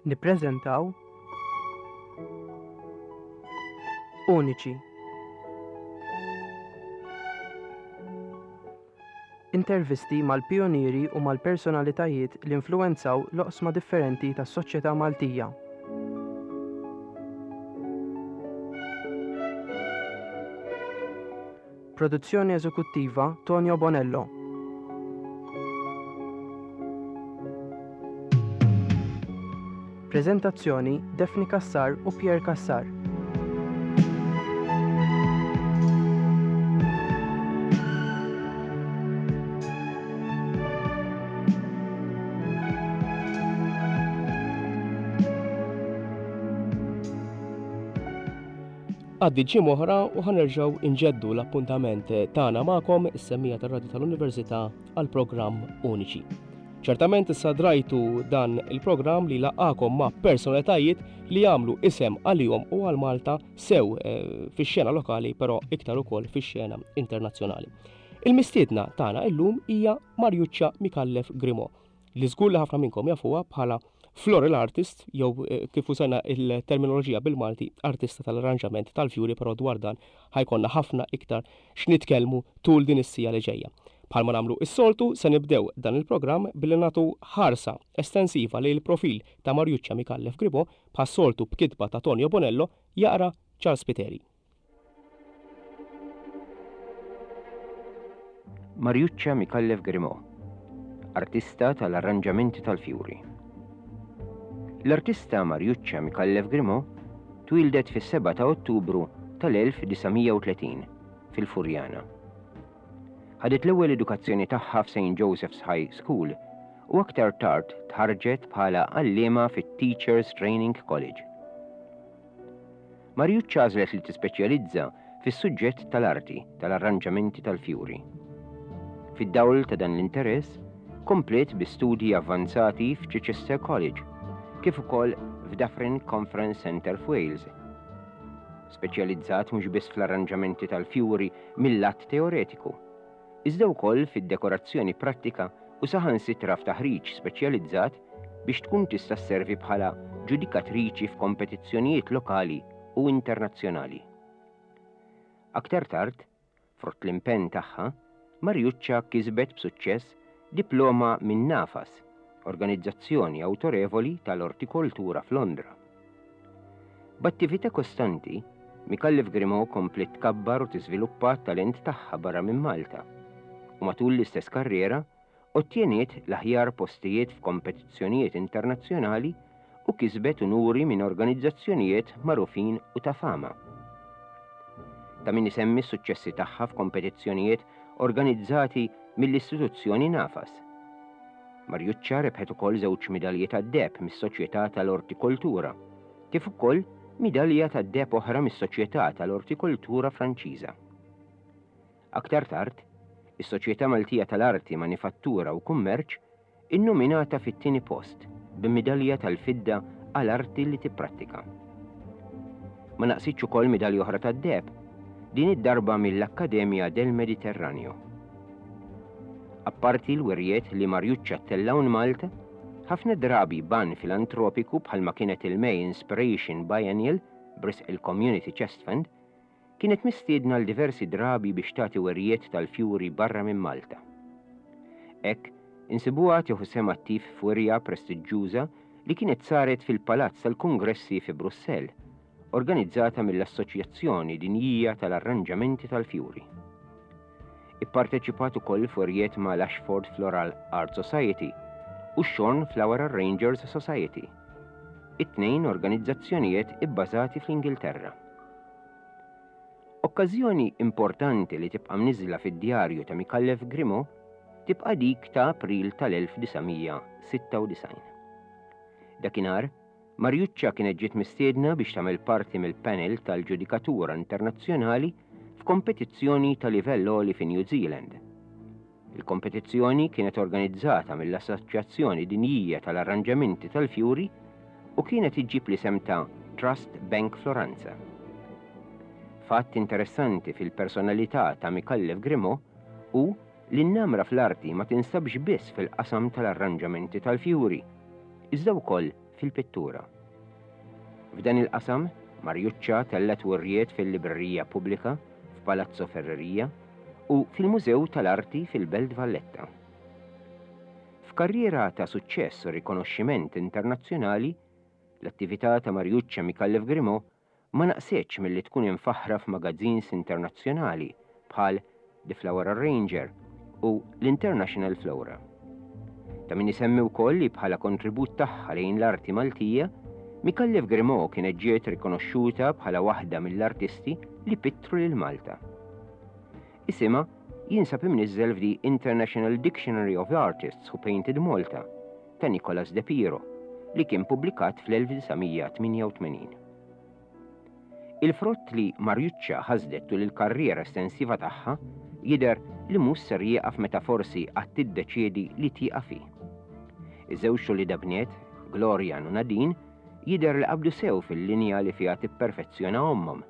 Nippreżentaw Uniċi. Intervisti mal-pijunieri u mal-personalitajiet li influwenzaw l-oqsma differenti tas-soċjetà Maltija. Produzzjoni eżekuttiva Tonio Bonello. Preżentazzjoni Daphne Cassar u Pierre Cassar. Għaddiet ġimgħa oħra u ħa nerġgħu inġeddu l-appuntament tagħna magħkom is-semmija tar-Radju tal-Università għal programm Uniċi. Ċertament issa drajtu dan il-programm li laqgħakom ma' personalitajiet li jagħmlu isem għalihom u għal Malta sew eh, fix-xena lokali però iktar ukoll fix-xena internazzjonali. Il-mistiedna tagħna illum hija Marjuċċa Mikallef Grimo li żgur li ħafna minnkom jafuha bħala floral artist jew eh, kif użajna il-terminoloġija bil-Malti artista tal-arranġament tal-fjuri però dwar dan ħajkonna ħafna iktar x'nitkellmu tul din is-sija li ġejja. Bħalma nagħmlu is-soltu se nibdew dan il-programm billi nagħtu ħarsa estensiva lejn il-profil ta' Marjuċċa Micallef Gribo bħas-soltu b'kitba ta' Tonio Bonello jaqra Charles Spiteri. Mariuccia Micallef Grimaud, artista tal-arranġamenti tal-fjuri. L-artista Mariuccia Micallef Grimaud twieldet fis-7 ta' Ottubru tal-1930 fil-Furjana. Ħadet l-ewwel edukazzjoni tagħha f'St. Joseph's High School u aktar tard tħarrġet bħala għalliema fit-Teachers Training College. Mariuccia għażlet li tispeċjalizza fis-suġġett tal-arti tal-arranġamenti tal-fjuri. Fid-dawl ta' dan l-interess, kompliet bi studji avvanzati f'Chichester College, kif ukoll f'Dyffryn Conference Centre f'Wales. Speċjalizzat mhux biss fl-arranġamenti tal-fjuri mil-lat teoretiku, iżda wkoll fid-dekorazzjoni prattika u saħansitra f'taħriġ speċjalizzat biex tkun tista' sservi bħala ġudikatriċi f'kompetizzjonijiet lokali u internazzjonali. Aktar tard, frott l-impenn tagħha, Mariuccia kisbet b'suċċess diploma minn NAFAS, organizzazzjoni awtorevoli tal-ortikoltura f'Londra. B'attività kostanti, Micallef Grimaud kompliet tkabbar u tiżviluppa t-talent tagħha barra minn Malta u matul l-istess karriera ottjeniet l-aħjar postijiet f'kompetizzjonijiet internazzjonali u kisbet unuri minn organizzazzjonijiet magħrufin u ta' fama. Ta' min isemmi s-suċċessi tagħha f'kompetizzjonijiet organizzati mill-istituzzjoni Nafas. Mariuccia rebħet ukoll żewġ midalji tad-deheb mis-Soċjetà tal-Ortikoltura, kif ukoll midalja tad-deheb oħra mis-Soċjetà tal-Ortikoltura Franċiża. Aktar tard, is-Soċjetà Maltija tal-Arti, Manifattura u Kummerċ innominatha fit-tieni post b'midalja tal-fidda għal arti li tipprattika. Ma naqsitx ukoll midalja oħra tad-deheb, din id-darba mill-Accademia del Mediterraneo. Apparti l-wirjiet li Mariuccia ttella' hawn Malta, ħafna drabi b'għan filantropiku bħalma kienet il-May Inspiration Biennial b'risq il-Community Chest Fund, kienet mistiedna għal diversi drabi biex tagħti wirjiet tal-fjuri barra minn Malta. Hekk, insibuha tieħu sehem attiv f'wirja prestiġġuża li kienet saret fil-Palazz tal-Kungressi fi Brussell, organizzata mill-Assoċjazzjoni Dinjija tal-Arranġamenti tal-Fjuri. Ipparteċipat ukoll f'wirjiet ma' l-Ashford Floral Art Society u x-Shorn Flower Arrangers Society, it-tnejn organizzazzjonijiet ibbażati fl-Ingilterra. Okkażjoni importanti li tibqa' mniżżla fid-djarju ta' Micallef Grimaud tibqa' dik ta' April tal-1996. Dakinhar, Mariuccia kienet ġiet mistiedna biex tagħmel parti mill-panel tal-ġudikatura internazzjonali f'kompetizzjoni ta' livell għoli fi New Zealand. Il-kompetizzjoni kienet organizzata mill-Assoċjazzjoni Dinjija tal-Arranġamenti tal-Fjuri u kienet iġġib l-isem ta' Trust Bank Floranza. Fatt interessanti fil-personalità ta' Micallef Grimaud hu li n-namra fl-arti ma tinstabx biss fil-qasam tal-arranġamenti tal-fjuri, iżda wkoll. fil-pittura. F'dan il-qasam, Mariuccia tellgħet wirjiet fil-Librerija Pubblika f'Palazzo Ferreria u fil-Mużew tal-Arti fil-Belt Valletta. F'karriera ta' suċċess u rikonoxximent internazzjonali, l-attività ta' Mariuccia Micallef Grimaud ma naqsitx milli tkun imfaħħra f'magazins internazzjonali bħal The Flower Arranger u l-International Flora. Ta' min isemmi wkoll li bħala kontribut tagħha lejn l-arti Maltija, Micallef Grimaud kienet ġiet rikonoxxuta bħala waħda mill-artisti li pittru lil Malta. Isimha jinsab imniżżel f'The International Dictionary of Artists Who Painted Malta ta' Nicolas De Piro li kien pubblikat fl-1988. Il-frott li Mariuccia ħasdet tul il-karriera estensiva tagħha jidher li mhux ser jieqaf meta forsi għad tiddeċiedi li tieqaf hi. Iż-żewġ uliedha bniet, Glorian u Nadine, jidher li qabdu sew fil-linja li fiha tipperfezzjona ommhom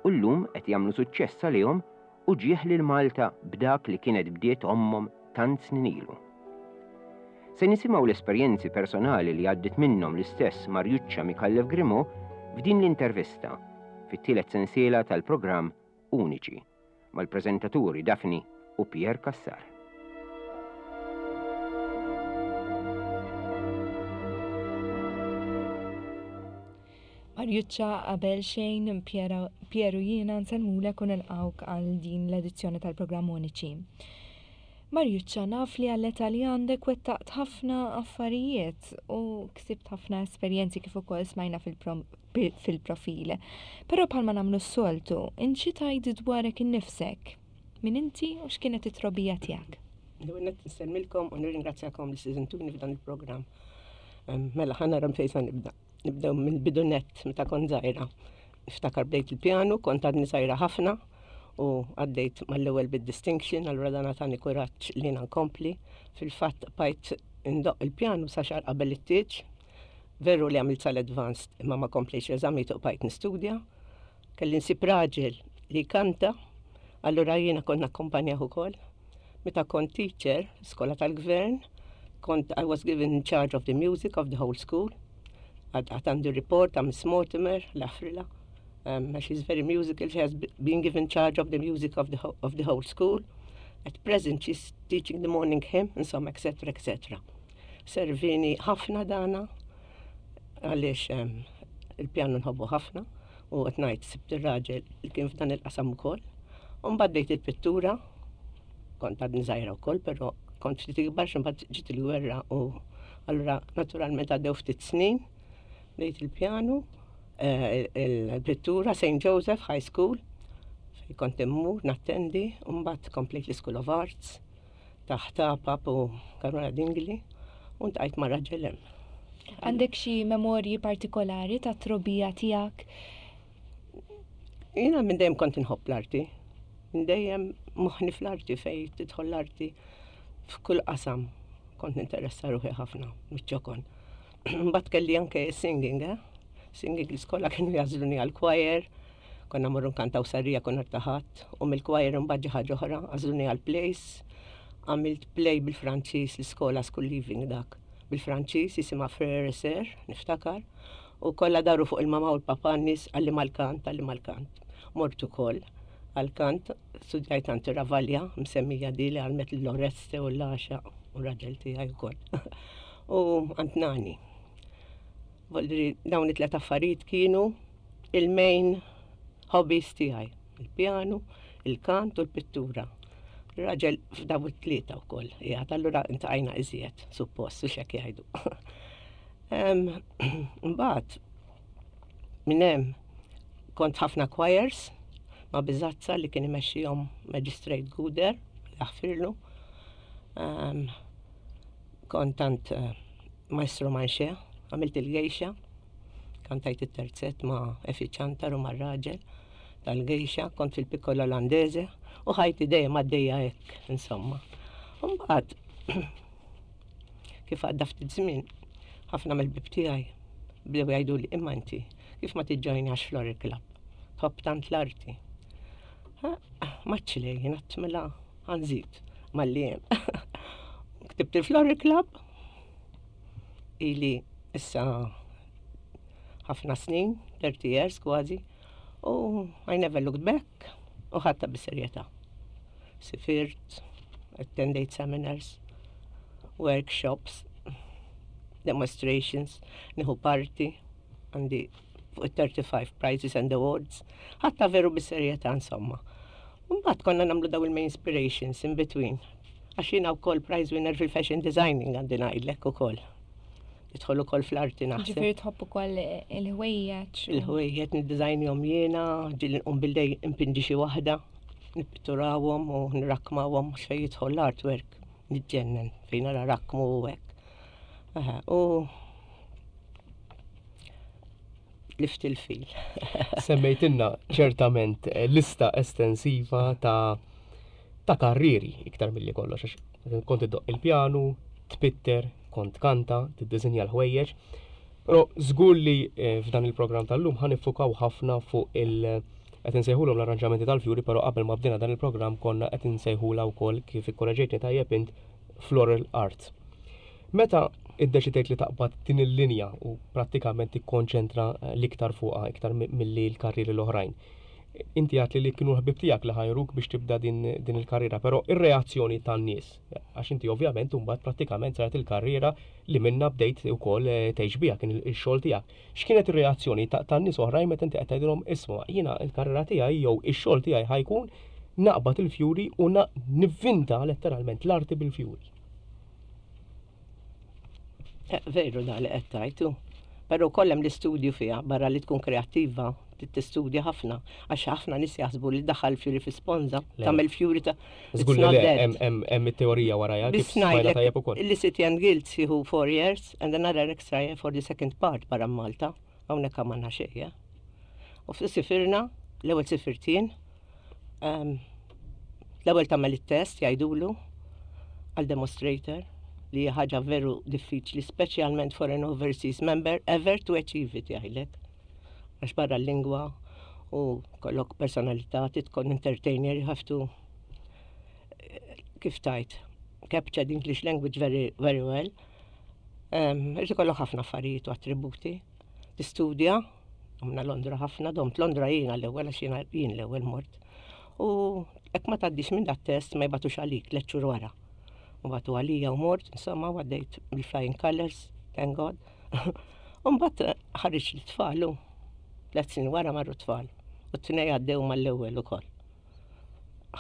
u llum qed jagħmlu suċċess għalihom u ġieħ lil Malta b'dak li kienet bdiet ommhom tant snin ilu. Se nisimgħu l-esperjenzi personali li għaddiet minnhom l-istess Mariuccia Micallef Grimaud f'din l-intervista, fit-tielet sensiela tal-programm Uniċi, mal-preżentaturi Daphne u Pierre Cassar. Mariuccia qabel xejn Pierre u jiena nsellmulek u nilqgħuk għal din l-edizzjoni tal-programm Uniċi. Mariuccia, naf li għall-età li għandek wettaqt ħafna affarijiet u ksibt ħafna esperjenzi kif ukoll smajna fil-profil. Però bħalma nagħmlu s-soltu, int xi tgħid dwarek innifsek? Min inti u x'kienet it-trobbija tiegħek? L-ewwel nett insellmilkom u nirringrazzjakom li stidintuni f'dan il-programm. Mela ħa nara fejn sa nibda. Nibdew mill-bidu nett meta kont żgħira. Niftakar bdejt il-pjanu, kont għadni żgħira ħafna u għaddejt mal-ewwel bid-distinction, allura dan tani kuraġġ li jiena nkompli. Fil-fatt bqajt indoqq il-pjanu sa xahar qabel it-tieġ. Veru li għamilt sal-advanced imma ma komplejtx l-eżamijiet u bqajt nistudja. Kelli nsib raġel li jkanta, allura jiena kont nakkompanjah ukoll. Meta kont teacher, skola tal-gvern, kont I was given in charge of the music of the whole school. Għad għandi report ta' Miss Mortimer, l-Afrila. Um, she's very musical, she has been given charge of the music of the, of the whole school. At present she's teaching the morning hymn, insomma, etc., etc. Servini ħafna dana, għaliex um, il-pjanu nħobbu ħafna u qed ngħid sibt ir-raġel li kien f'dan il-qasam ukoll. U mbagħad bdejt il-pittura, kont għadni żgħira wkoll, però kont ftit ikbar x'imbagħad ġiet il-gwerra u allura naturalment għaddew ftit snin, bdejt il-pjanu, eh, il-pittura St. Joseph High School, fejn kont immur nattendi, u mbagħad komplejt l-School of Arts taħt Apap u Caruana Dingli u ntqajt ma' raġel hemm. Għandek xi memorji partikolari ta' trobija tiegħek? Jiena minn dejjem kont inħobb l-arti. Minn dejjem moħħni fl-arti fej tidħol l-arti f'kull qasam kont ninteressa ruħi ħafna miċ-ċokon. Mbagħad kelli anke singing, eh? Singing l-iskola kienu jażluni għal-choir, konna morru nkantaw sarrija kun taħat, u mill-choir imbagħad ġi ħaġa oħra, għażluni għal-plays, għamilt play bil-Franċiż l-iskola school leaving dak. Bil-Franċiż jisimha Frère et Sœur, niftakar, u kollha daru fuq il-mama u l-papa n-nies għalli mal-kant, għalli mal-kant. Mort ukoll għal-kant, studjajt għand Ravalja, msemmija di li għalmet l-Oreste u l-Għaxa u raġel tiegħi wkoll. U għand nani. Voldri dawn it-tlet affarijiet kienu il-main hobbies tiegħi, il-pjanu, il-kant u l-pittura. Raġel f'daw it-tlieta wkoll, qiegħed allura intqajna iżjed, suppost, u x'hekk jgħidu. Mbagħad minn hemm kont ħafna choirs ma' Biżazza li kien imexxihom Magistrate Guder, jaħfirlu. Kont tant eh, Maestro Manxe, għamilt il-gejxa, kantajt it-terzett ma' Efi Ċantar u mar-raġel tal-gejxa, kont fil-Piccola Olandese u ħajti dejjem għaddejja hekk, insomma. Mbagħad kif għadda ftit żmien, ħafna mill-bib tiegħi bdew jgħiduli imma inti kif ma tiġġojnax Floral Club, tħobb tant l-arti. Maċċi lejn, mela għanżid malli hemm. Ktibt il-Floral Club ili issa Ħafna snin, 30 years kważi, u I never looked back u ħadtha bis-serjetà. Sifirt, attendejt seminars, workshops, demonstrations, nieħu parti, għandi fuq 35 prizes and awards, ħadtha veru bis-serjetà insomma. Mbagħad konna nagħmlu daw il-main inspirations in between. Għax jiena wkoll prize winner fil-fashion designing għandi ngħidlek ukoll. Tidħol ukoll fl-arti naħseb. Ġifieri tħobb ukoll il-ħwejjeġ. Il-ħwejjeġ niddiżajnjhom jiena, ġieli nqum bil-lejl impinġi xi waħda, nippitturawhom u nrakkmawhom xejn jidħol l-artwork niġġennen fejn nara rakkmu u hekk. U lift il-fil. Semmejtilna ċertament eh, lista estensiva ta' ta' karrieri iktar milli kollox għax kont iddoq il-pjanu, tpitter, kont kanta, tiddisinja l-ħwejjeġ. Però żgur li eh, f'dan il-programm tal-lum ħa niffukaw ħafna fuq il- qed insejħulhom l-arranġamenti tal-fjuri, però qabel ma bdejna dan il-programm konna qed insejħula wkoll kif ikkoreġejtni tajjeb int floral art. Meta iddeċidejt li taqbad din il-linja u prattikament tikkonċentra eh, l-iktar fuqha iktar milli l-karrieri l-oħrajn. Inti għat li kienu l-ħbib tiegħek li ħajruk biex tibda din, din il-karriera, però ir-reazzjoni tan-nies, għax inti ovvjament imbagħad prattikament saret il-karriera li minna bdejt ukoll eh, tgħix biha kien il-xogħol tiegħek. X'kienet ir-reazzjoni tan-nies oħrajn meta inti qed tgħidilhom isma' jiena l-karriera tiegħi jew ix-xogħol tiegħi ħajkun naqbad il-fjuri u nivvinta letteralment l-arti bil-fjuri. Eh, veru da li qed tajtu. Però kollem l-istudju fiha barra li tkun kreattiva, tistudja ħafna, għax ħafna nies jaħsbu li daħal fjuri fi sponza, tagħmel fjuri ta' Żgur li hemm it-teorija warajha kif smajna tajjeb ukoll. Li City and Guilds jieħu four years and another extra year for the second part barra Malta, hawnhekk għamalna xejn. Eh. U sifirna, l-ewwel sifirtien, L-ewwel tagħmel it-test jgħidulu għal demonstrator li hija ħaġa veru diffiċli, speċjalment for an overseas member ever to achieve it jgħidlek. Għax barra l-lingwa u kollok personalità, tkun entertainer, you have to kif tajt, capture the English language very, very well. Irrid ikollok ħafna affarijiet u attributi. Tistudja, għamna Londra ħafna, domt Londra jiena l-ewwel għax jiena jien l-ewwel mort. U hekk ma tgħaddix minn dat test ma jbatux għalik tliet xhur wara. U batu għalija u mort, insomma, għaddejt bil-flying colors, thank God. U mbagħad ħareġ l-tfal u tliet snin wara marru tfal. U t-tnej għaddew mal-ewwel ukoll.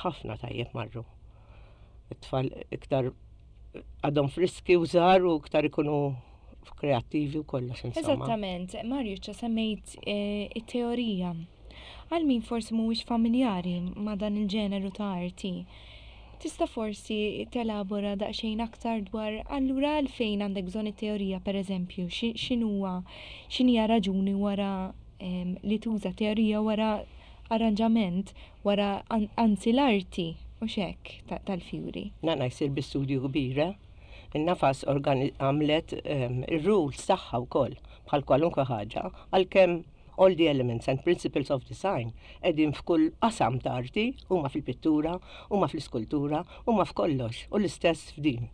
Ħafna tajjeb marru. It-tfal iktar għadhom friski u żgħar u iktar ikunu kreattivi u kollox insomma. Eżattament, Mariuccia semmejt eh, it-teorija. Għal min forsi mhuwiex familjari ma' dan il-ġeneru ta' arti, tista' forsi telabora daqsxejn aktar dwar allura għalfejn għandek bżonn it-teorija pereżempju, x'inhuwa x'inhija raġuni wara ehm, li tuża teorija wara arranġament wara anzi l-arti u xek tal-fjuri. Nana jsir bi studju kbir, eh? In-nafas għamlet ehm, ir-rules tagħha wkoll bħal kwalunkwe ħaġa, għalkemm all the elements and principles of design qegħdin f'kull qasam ta' arti, huma fil-pittura, huma fl-iskultura, huma f'kollox, u l-istess f'din.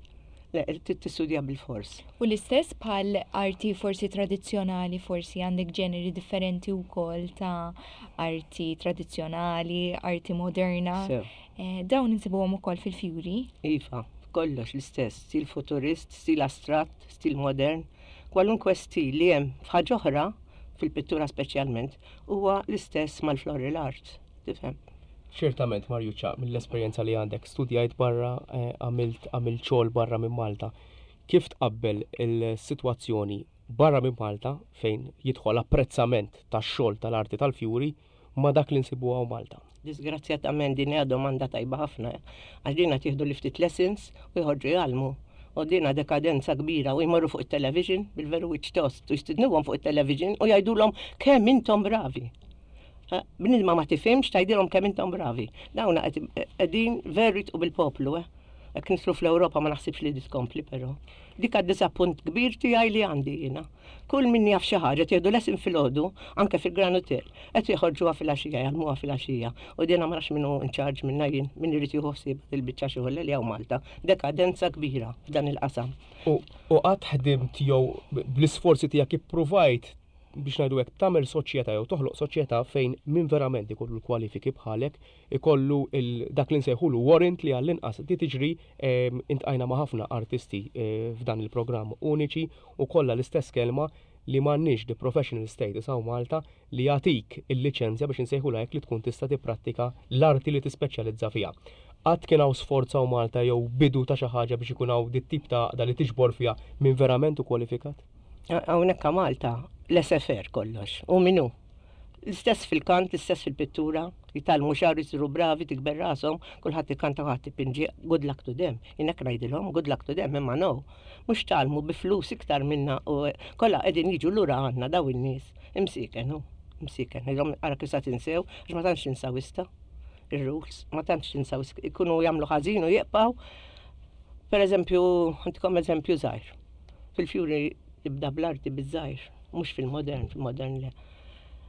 Le, trid tistudja bilfors. U l-istess bħal arti forsi tradizzjonali, forsi għandek ġeneri differenti wkoll ta' arti tradizzjonali, arti moderna. Eh, dawn insibuhom ukoll fil-fjuri. Iva, kollox l-istess, stil futurist, stil astratt, stil modern, kwalunkwe stil li hemm f'ħaġa oħra, fil-pittura speċjalment, huwa l-istess mal-floral art, tifhem? Ċertament, Marjuċa, mill-esperjenza li għandek, studjajt barra, eh, għamilt għamilt xogħol barra minn Malta. Kif tqabbel il-sitwazzjoni barra minn Malta fejn jidħol apprezzament tax-xogħol tal-arti tal-fjuri ma' dak li nsibu hawn Malta? Disgrazzjatament din hija domanda tajba ħafna, għax din qed jieħdu li ftit lessons u jħorġu jgħallmu. U dina dekadenza kbira u jmorru fuq it-television bil-veru wiċċ tost u jistidnuhom fuq it-television u jgħidulhom kemm intom bravi. Bnidma ma tifhimx tgħidilhom kemm intom bravi. Dawna qegħdin veru jitqu bil-poplu, eh. Jekk nidħlu fl-Ewropa ma naħsibx li tkompli però. Dik għad-diżappunt kbir tiegħi li għandi jiena. Kull min jaf xi ħaġa tieħdu lesson filgħodu anke fil-Gran Hotel, qed joħorġuha filgħaxija, jgħallmuha filgħaxija. U dina ma nafx min hu in charge minnha jien, min irid jieħu ħsieb il-biċċa xogħol li hawn Malta. Dekadenza kbira f'dan il-qasam. U qatt ħdimt jew bl-isforzi tiegħek ippruvajt biex ngħidu hekk tagħmel soċjetà jew toħloq soċjetà fejn min verament ikollu l-kwalifiki bħalek ikollu dak li nsejħulu warrant li għall-inqas di tiġri intqajna ma' ħafna artisti f'dan il-programm uniċi u kollha l-istess kelma li m'għandniex the professional status hawn Malta li jagħtik il-liċenzja biex insejħulha hekk li tkun tista' tipprattika l-arti li tispeċjalizza fiha. Qatt kien hawn sforz hawn Malta jew bidu ta' xi ħaġa biex ikun hawn dit-tip ta' għaqda li tiġbor fiha min verament hu kwalifikat? Hawnhekk a Malta l-SFR kollox. U min hu? L-istess fil-kant, l-istess fil-pittura, jitgħallmu xahar isiru bravi, tikber rashom, kulħadd ikanta kulħadd ipinġi, good luck to them. Jien hekk ngħidilhom, good luck to them, imma no. Mhux tgħallmu bi flus iktar minna u kollha qegħdin jiġu lura għandna daw in-nies. Imsieken hu, imsieken. Ngħidilhom ara kif sa tinsew, għax ma tantx tinsaw issa ir-rules, ma tantx tinsaw, ikunu jagħmlu ħażin u jibqgħu. Per eżempju, għandkom eżempju żgħir. Fil-fjuri tibda bl-arti biż-żgħir, mhux fil-modern, fil-modern le.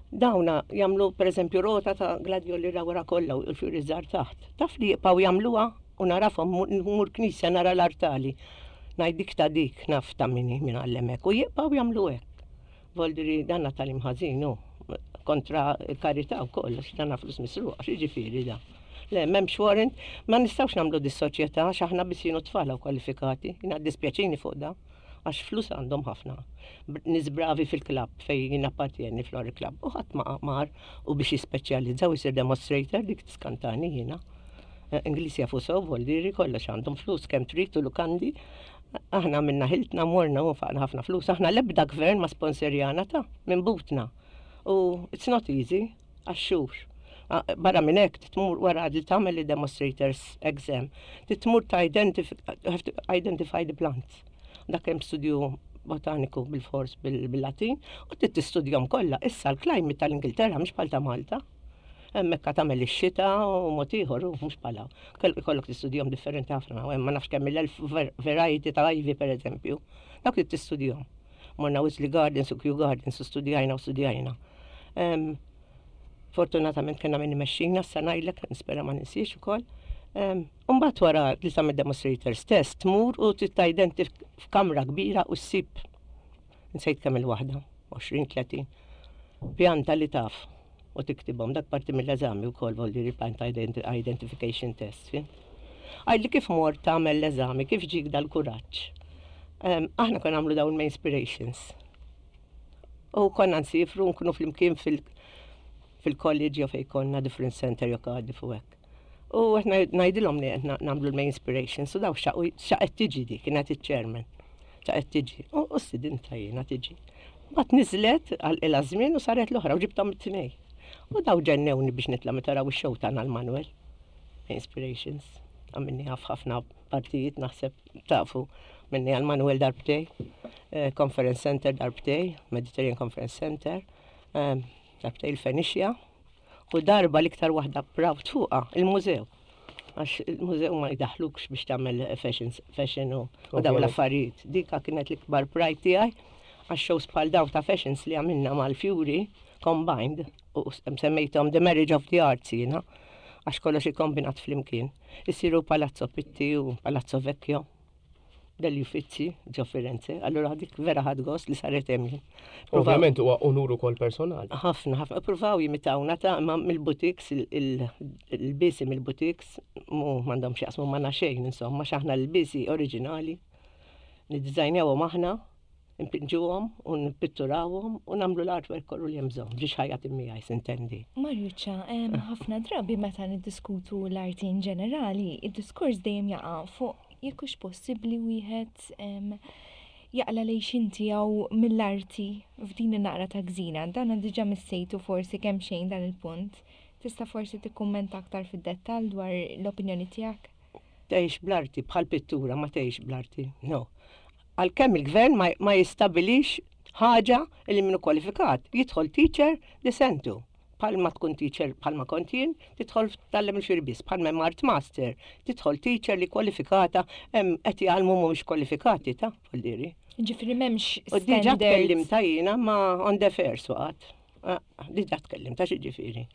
Dawna jagħmlu pereżempju rota ta' gladjoli ra wara kollha u l-fjuri żgħar taħt. Taf li jibqgħu jagħmluha u narafhom mur knisja nara l-artali. Ngħid dik ta' dik naf ta' min hi min għallem hekk u jibqgħu jagħmlu hekk. Voldiri danna tagħlim ħażin hu kontra l-karità wkoll għax danna flus misruqa, x'jiġifieri da? Le, m'hemmx warrant, ma nistgħux nagħmlu dis-soċjetà għax aħna biss jien u t-tfal hawn kwalifikati. Jiena ddispjaċini fuq da, għax flus għandhom ħafna. Nies bravi fil-klabb fejn jien appartjeni Flori Club u ħadd ma mar u biex jispeċjalizza u jsir demonstrator dik tiskantani jiena. Eh, Ingliż jafu sew, voldiri, kollox għandhom flus kemm trid u lukandi. Aħna minna ħiltna morna u faqna ħafna flus. Aħna l-ebda gvern ma sponsorjana ta' minn butna. U it's not easy għax-xhur. Barra minn hekk tmur wara li tagħmel il-demonstrators exam, tmur ta' identify the plants. Dak hemm studju botaniku bil-fors bil-Latin u trid tistudjahom kollha. Issa l-climate tal-Ingilterra mhix bħal ta' Malta. Hemmhekk tagħmel ix-xita u mod ieħor u mhux bħala. Ikollok tistudjahom differenti ħafna, u hemm ma nafx kemm il-elf variety ta' ivy pereżempju. Dawk trid tistudjahom. Morna Wisley Gardens u Kew Gardens u studjajna u studjajna. Fortunatament kena min imexxina, sa ngħidlek, nispera ma ninsiex ukoll. Mbagħad wara li tagħmel demonstrators test tmur u trid identify f'kamra kbira u ssib nsejt kemm il-waħda, 20-30 pjanta li taf u tiktibhom dak parti mill-eżami wkoll voldiri plant identification test. Għidli kif mort tagħmel l-eżami, kif ġik dal-kuraġġ. Aħna konna nagħmlu dawn ma' inspirations. U konna nsifru nkunu flimkien fil-college jew fejn konna different center jew Cardiff u hekk. U qed ngħidilhom li qed nagħmlu l-main inspirations u daw xaqet tiġi di kienet iċ-chairman. Xaqet tiġi. U stidinta jiena tiġi. Mbagħad niżlet għal ilha żmien u saret l-oħra u ġibthom it-tnej. U daw ġennewni biex nitla' meta raw ix-show tagħna l-Manuel. Inspirations. Għamilni ħafna partijiet naħseb tafu minni għal Manuel darbtej, eh, Conference Center darbtej, Mediterranean Conference Center, eh, darbtej il-Fenicia, u darba l-iktar waħda proud fuqa, il-mużew. Għax il-mużew ma jdaħlukx biex tagħmel fashion u daw l-affarijiet. Dika kienet l-ikbar pride tiegħi għax shows bħal daw ta' fashions li għamilna mal-Fury combined u semmejthom The Marriage of the Arts jiena għax kollox ikkombinat flimkien. Isiru Palazzo Pitti u Palazzo Vecchio degli Uffizi ġo Firenze. Allura dik vera ħadt gost li saret hemm. Ovvjament huwa unur ukoll personali. Ħafna, ħafna. Pruvaw jimitawna ta' ma mill-boutiques, il-bisi mill-boutiques, mu m'għandhom x'jaqsmu ma' xejn, insomma, x'aħna l-bisi oriġinali. Niddiżajnjawhom aħna, npinġuhom u npitturawhom u nagħmlu l-artwork kollu li hemm bżonn biex ħajja miegħi sintendi. Marjuċa, ħafna drabi meta niddiskutu l-arti in ġenerali, id-diskors dejjem jaqa' fuq jekk hux possibbli wieħed jaqla' l-għixien tiegħu mill-arti f'din in-naqra ta' gżira. Dan diġà missejtu forsi kemm xejn dan il-punt. Tista' forsi tikkummenta aktar fid-dettall dwar l-opinjoni tiegħek? Tgħix bl-arti bħal pittura ma tgħix bl-arti. No. Għalkemm il-gvern ma, ma jistabilix ħaġa li minnu kwalifikat, jidħol teacher li sentu. Bħalma tkun teacher bħalma kont jien, tidħol tgħallem il-fjuri biss, bħalma hemm art master, tidħol teacher li kwalifikata hemm qed jgħallmu mhumiex kwalifikati ta' voldiri. Ġifieri m'hemmx U diġà tkellimta jiena ma on the fair waqgħet. Ah, diġà tkellimta xi ġifieri.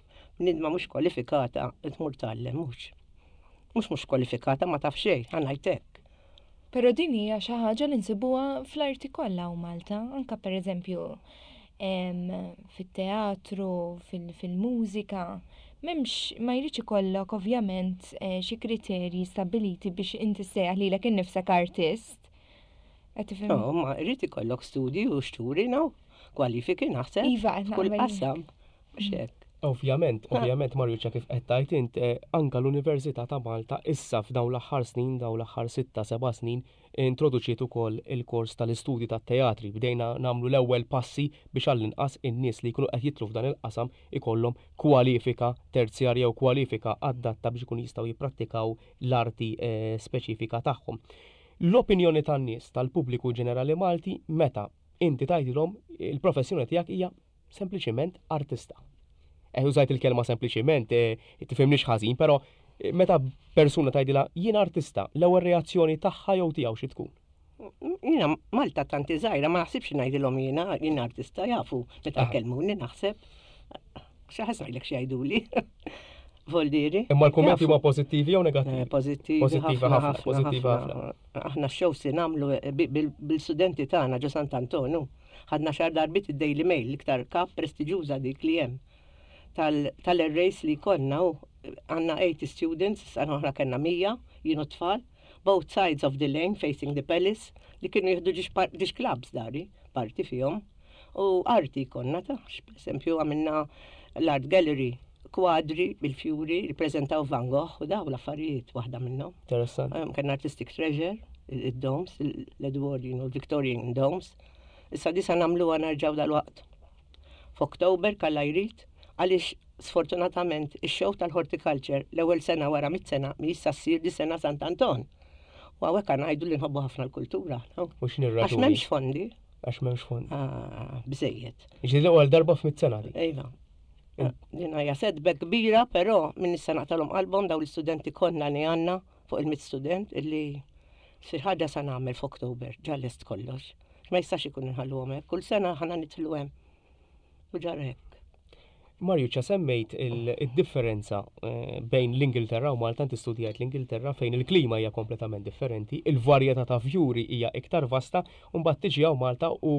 Nidma mhux kwalifikata tmur tgħallem mhux. Mhux mhux kwalifikata ma taf xejn, ħa ngħid hekk. Però din hija xi ħaġa li nsibuha fl-arti kollha hawn Malta, anke pereżempju Fit-teatru, fil-mużika, m'hemmx ma jridx ikollok ovvjament eh, xi kriterji stabbiliti biex inti ssejjaħ lilek innifsek artist. Qed tifhem? No, ma jrid ikollok studji u xturi, no? Kwalifiki naħseb. Iva, qed Kull qasam. Mhux hekk. Ovvjament, ovvjament Marjuċa kif qed tgħid int, eh, anka l-Università ta' Malta issa f'dawn l-aħħar snin, dawn l-aħħar sitta, seba' snin, introduċiet ukoll il-kors tal-istudji tat-teatri. Bdejna nagħmlu l-ewwel passi biex għall-inqas in-nies li jkunu qed jidħlu f'dan il-qasam ikollhom kwalifika terzjarja jew kwalifika adatta biex ikunu jistgħu jipprattikaw l-arti eh, speċifika tagħhom. L-opinjoni tan-nies, tal-pubbliku ġenerali Malti meta inti tgħidilhom il-professjoni tiegħek hija sempliċiment artista. Eh, użajt il-kelma sempliċiment, eh, tifhimniex ħażin, però eh, meta persuna tgħidilha jien artista, l-ewwel reazzjoni tagħha jew tiegħu xi tkun? Jiena Malta tanti żgħira ma naħsibx ngħidilhom jiena jien artista jafu meta jkellmuni naħseb. Xi ħass ngħidlek xi jgħiduli. Voldiri. Imma l-kummenti huma pożittivi jew negattivi? Eh, pożittivi. Pożittivi ħafna, pożittivi ħafna. Aħna x-show se nagħmlu eh, bil-studenti tagħna ġo Sant'Antonu. Ħadna xar darbiet id-Daily Mail, l-iktar kap prestiġjuża dik li hemm tal-arrays li konna u għanna 80 students, sena oħra kellna 100, jienu tfal, both sides of the lane facing the palace, li kienu jieħdu ġiex clubs dari, parti fihom. U arti konna ta' esempio għamilna l-art gallery, kwadri bil-fjuri li prezentaw Van Gogh u daw l-affarijiet waħda minnhom. Interessant. Kellna artistic treasure, il-domes, l-Edwardian u l-Victorian domes. Issa disa nagħmluha nerġgħu dal-waqt. F'Oktober kalla jrid għaliex sfortunatament ix-show tal-horticulture l-ewwel sena wara mit sena mi issa ssir di sena Sant'Anton. U hawnhekk ngħidu li nħobbu ħafna l-kultura. U x'inhi Għax m'hemmx fondi. Għax m'hemmx fondi. Ah, biżejjed. Ġieli l-ewwel darba f'mit sena di. Iva. Din hija setback kbira, però minn issa naqtalhom qalbhom dawn l-istudenti kollha li għandna fuq il-mit student illi xi ħaġa sa nagħmel f'Oktober, ġa lest kollox. Ma jistax ikun inħalluhom hekk, kull sena ħana nidħlu hemm. U ġara hekk. Marjuċa, semmejt il-differenza eh, bejn l-Ingilterra u Malta, inti studjajt l-Ingilterra fejn il-klima hija kompletament differenti, il-varjetà ta' fjuri hija iktar vasta, u mbagħad tiġi hawn Malta u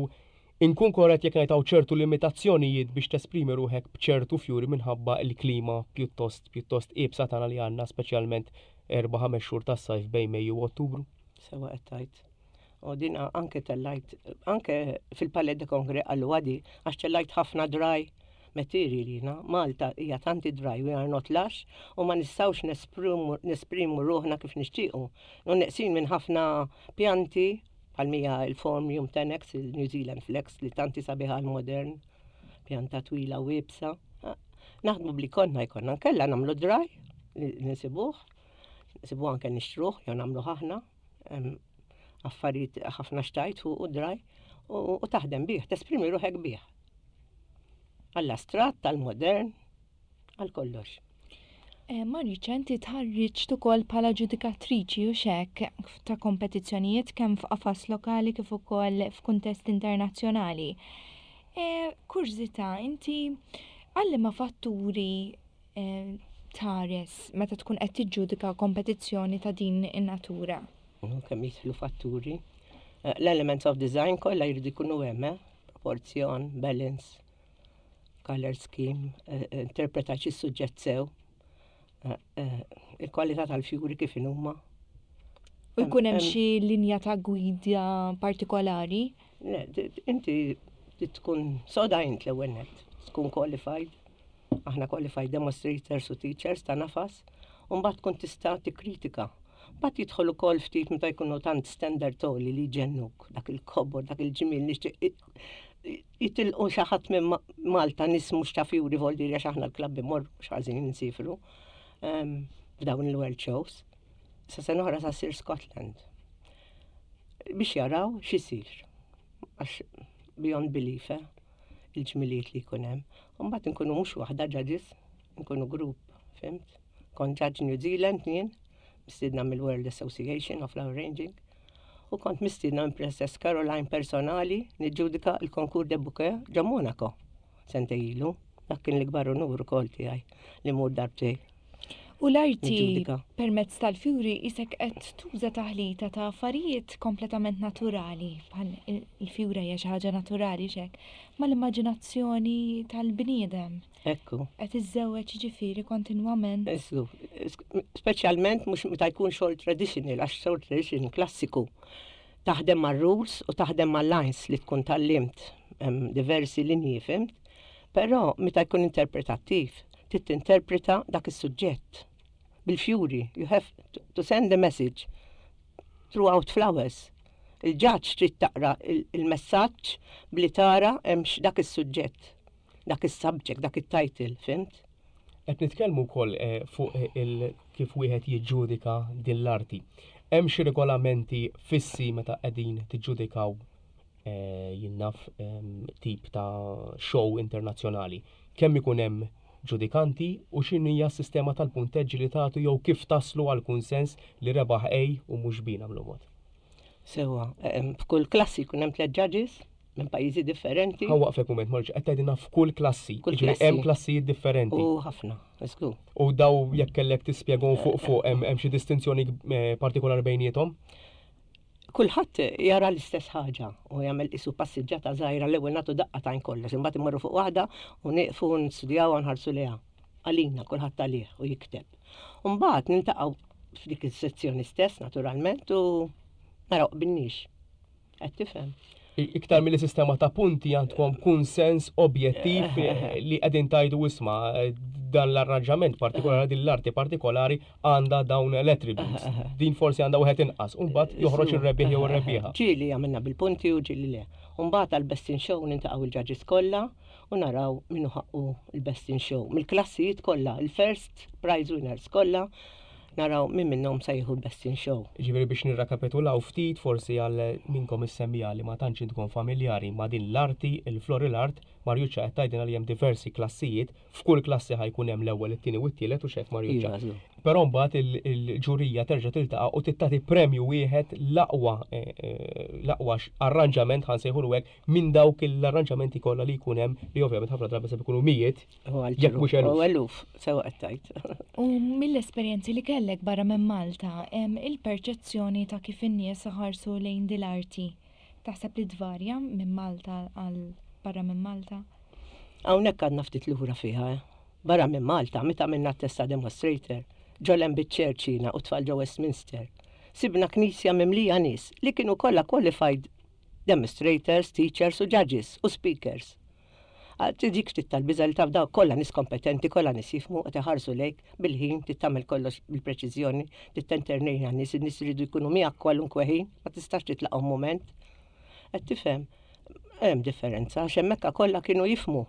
inkun korrett jekk ngħid hawn ċertu limitazzjonijiet biex tesprimi ruħek b'ċertu fjuri minħabba l-klima pjuttost pjuttost iebsa tagħna li għandna speċjalment erba' ħames xhur tas-sajf bejn Mejju u Ottubru. Sewa qed tgħid. U din anke tellajt, anke fil-Palais de Congrès qalu għadi, għax tellajt ħafna dry material jina. Malta hija tanti dry, we are not lush, u ma nistgħux nesprimu ruħna kif nixtiequ. U neqsin minn ħafna pjanti, bħal mija il-Phormium tenax, il-New Zealand Flax, li tanti sabiħa l-modern, pjanta twila u iebsa. Naħdmu bli konna jkollna, nkella nagħmlu dry, li nsibuh, nsibuh anke nixtruh, jew nagħmluh aħna affarijiet ħafna xtajt fuq u draj u taħdem bih, tesprimi ruħek bih. Għall-astrat, tal-modern, għal kollox. Eh, Mariċa, inti tħarriġt ukoll bħala ġudikatriċi u xek ta' kompetizzjonijiet kemm f'qafas lokali kif ukoll f'kuntest internazzjonali. Eh, kurżità, inti għal ma fatturi eh, tħares meta tkun qed tiġġudika kompetizzjoni ta' din in-natura? Kemm jidħlu fatturi. Eh, l-elements of design kollha jridu jkunu hemm, eh? proporzjon, balance, color scheme, eh, interpreta xi suġġett sew, il-kwalità tal-fjuri kif inhuma. U jkun hemm xi linja ta' gwida partikolari? Le, inti tkun soda int l-ewwel nett, tkun qualified. Aħna qualified demonstrators u teachers ta' nafas, u mbagħad tkun tista' tikkritika. Mbagħad jidħol ukoll ftit meta jkunu tant standard għoli li jġennuk, dak il-kobor, dak il-ġmiel nixtieq jitilqu xi ħadd minn Malta nies mhux ta' fjuri voldiri għax aħna l-klabb imorru mhux ħażin insifru f'dawn il-world shows. Sa sena oħra sa ssir Scotland. Biex jaraw x'isir. Għax beyond belief, eh? il-ġmiliet li jkun hemm. U mbagħad inkunu mhux waħda judges, inkunu grupp, fimt? Kont judge New Zealand jien, mistiedna mill-World Association of Flower Arranging, u kont mistiedna minn Princess Caroline personali niġġudika l-Concours de Bouquet ġo Monaco sentejn ilu. Dak kien l-ikbar unur ukoll tiegħi li mur darbtej. U l-arti permezz tal-fjuri isek qed tuża taħlita ta' affarijiet kompletament naturali, bħal il-fjura hija xi ħaġa naturali xek, mal-immaġinazzjoni tal-bniedem. Ekku. Qed iżżewweġ ġifieri kontinwament. Ekku. Speċjalment mhux meta jkun xogħol traditional, għax xogħol traditional klassiku. Taħdem mar-rules u taħdem mal-lines li tkun tgħallimt diversi linji, fhimt? Però meta jkun interpretattiv, trid tinterpreta dak is-suġġett bil-fjuri. You have to send a message throughout flowers. Il-ġaġġ trid taqra il-messaġġ bli tara hemmx dak is-suġġett, dak is-subject, dak it-title, fhimt? Qed nitkellmu wkoll eh, fuq il kif wieħed jiġġudika din l-arti. Hemm xi regolamenti fissi meta qegħdin tiġġudikaw eh, jien naf tip ta' show internazzjonali. Kemm ikun hemm ġudikanti u x'inhija s-sistema tal-punteġġi li tagħtu jew kif taslu għal kunsens li rebaħ A u mhux B nagħmlu mod. Sewa, f'kull klassi jkun hemm tliet judges minn pajjiżi differenti. Ħa waqfek mument, Marġ, qed tgħidilna f'kull klassi. Kull Jiġifieri klassi. hemm klassijiet differenti. U ħafna, żgur. U daw jekk kellek tispjegahom fuq fuq hemm xi distinzjoni eh, partikolari bejniethom? Kulħadd jara l-istess ħaġa u jagħmel isu passiġġata żgħira l-ewwel nagħtu daqqa tajn kollox, imbagħad immorru fuq waħda u nieqfu nistudjaw u nħarsu lejha. Għalina kulħadd għalih u jikteb. U mbagħad niltaqgħu f'dik is-sezzjoni stess naturalment u naraw qbilniex. Qed tifhem? Iktar mill sistema ta' punti għandkom kunsens objettiv li qegħdin tajdu isma' dan l-arranġament partikolari, din l-arti partikolari għandha dawn l-attributes. Din forsi għandha wieħed inqas, u mbagħad joħroġ ir-rebbieħ jew ir-rebbieħa. Ġieli għamilna bil-punti u ġieli le. U mbagħad għal-Best in Show niltaqgħu il-judges kollha u naraw min hu ħaqqu il-Best in Show. Mill-klassijiet kollha, il-first prize winners kollha, naraw min minnhom se jieħu l-Best in Show. Ġifieri biex nirrakapitulaw ftit forsi għal minkom is-semmiegħa li ma tantx intkom familjari ma' din l-arti, il-floral art, Marjuċċa qed tgħidilna li hemm diversi klassijiet, f'kull klassi ħa jkun hemm l-ewwel, it-tieni u t-tielet u xek Marjuċċa. Iva, żgur. Però mbagħad il-ġurija terġa' tiltaqa' u tittati premju wieħed l-aqwa eh, eh, l-aqwa arranġament ħa nsejħulu hekk minn dawk l-arranġamenti kollha li jkun hemm li ovvjament ħafna drabi se jkunu mijiet U għal jekk mhux eluf. U eluf, sewa qed tgħid. U mill-esperjenzi li kellek barra minn Malta, hemm il-perċezzjoni ta' kif in-nies ħarsu lejn din l-arti. Taħseb li tvarja minn Malta għal barra minn Malta? Hawnhekk għadna ftit lura fiha, eh. Barra minn Malta, meta għamilna testa demonstrator, ġo Lambeth Church jiena u tfal ġo Westminster. Sibna knisja mimlija nies li kienu kollha qualified demonstrators, teachers u judges u speakers. Tiġik ftit tal-biża li taf daw kollha nies kompetenti, kollha nies jifhmu qed iħarsu lejk bil-ħin, trid tagħmel kollox bil-preċiżjoni, trid tentertejn għan-nies, in-nies iridu jkunu miegħek kwalunkwe ħin, ma tistax titlaqhom mument. Qed tifhem, hemm differenza, għax hemmhekk kollha kienu jifhmu.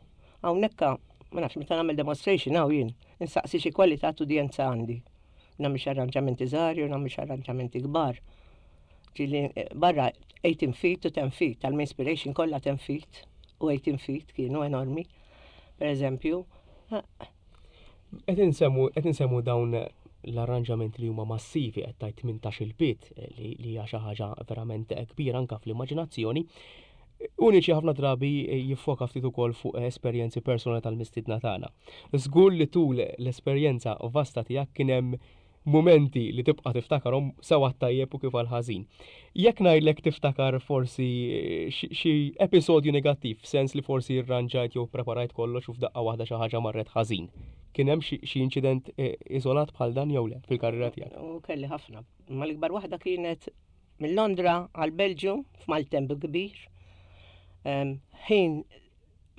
Hawnhekk ma nafx meta nagħmel demonstration hawn jien, insaqsi xi kwalità t'udjenza għandi. Nagħmel xi arranġamenti żgħar jew nagħmel xi arranġamenti kbar. Ġieli barra 18 feet u 10 feet, tal-Inspiration kollha 10 feet u 18 feet kienu enormi. Per eżempju, Qed insemmu dawn l-arranġamenti li huma massivi qed tgħid 18 il-pied li hija xi ħaġa verament kbira anke fl-immaġinazzjoni. Uniċi ħafna drabi jiffoka ftit ukoll fuq esperjenzi personali tal-mistiedna tagħna. Żgur li tul l-esperjenza vasta tiegħek kien hemm momenti li tibqa' tiftakarhom sewa tajjeb u kif għal ħażin. Jekk ngħidlek tiftakar forsi xi episodju negattiv, f'sens li forsi rranġajt jew preparajt kollox u f'daqqa waħda xi ħaġa marret ħażin. Kien hemm xi inċident iżolat bħal dan jew le fil-karriera tiegħek? U kelli ħafna. Ma l-ikbar waħda kienet minn Londra għal Belġju f'maltemp kbir. Ħin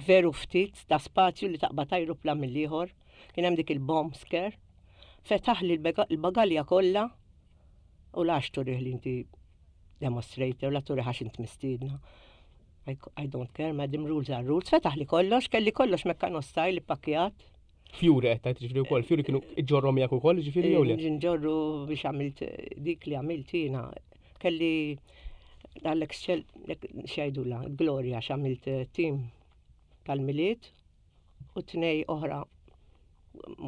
veru ftit ta' spazju li taqbad ajruplan mill-ieħor. Kien hemm dik il-bomb scare. Fetaħ li l-bagalja kollha u lax turih li inti demonstrator, la turih għax int mistiedna. I don't care, madam, rules are rules. Fetaħ li kollox, kelli kollox meccano style pakkjat. Fjuri qed tgħid ġifieri wkoll, fjuri kienu ġorrom miegħek ukoll ġifieri jew le? Nġorru biex għamilt dik li għamilt jiena. Kelli dal-Excel, x'jgħidula, Gloria, x'għamilt team tal-Milied u tnej oħra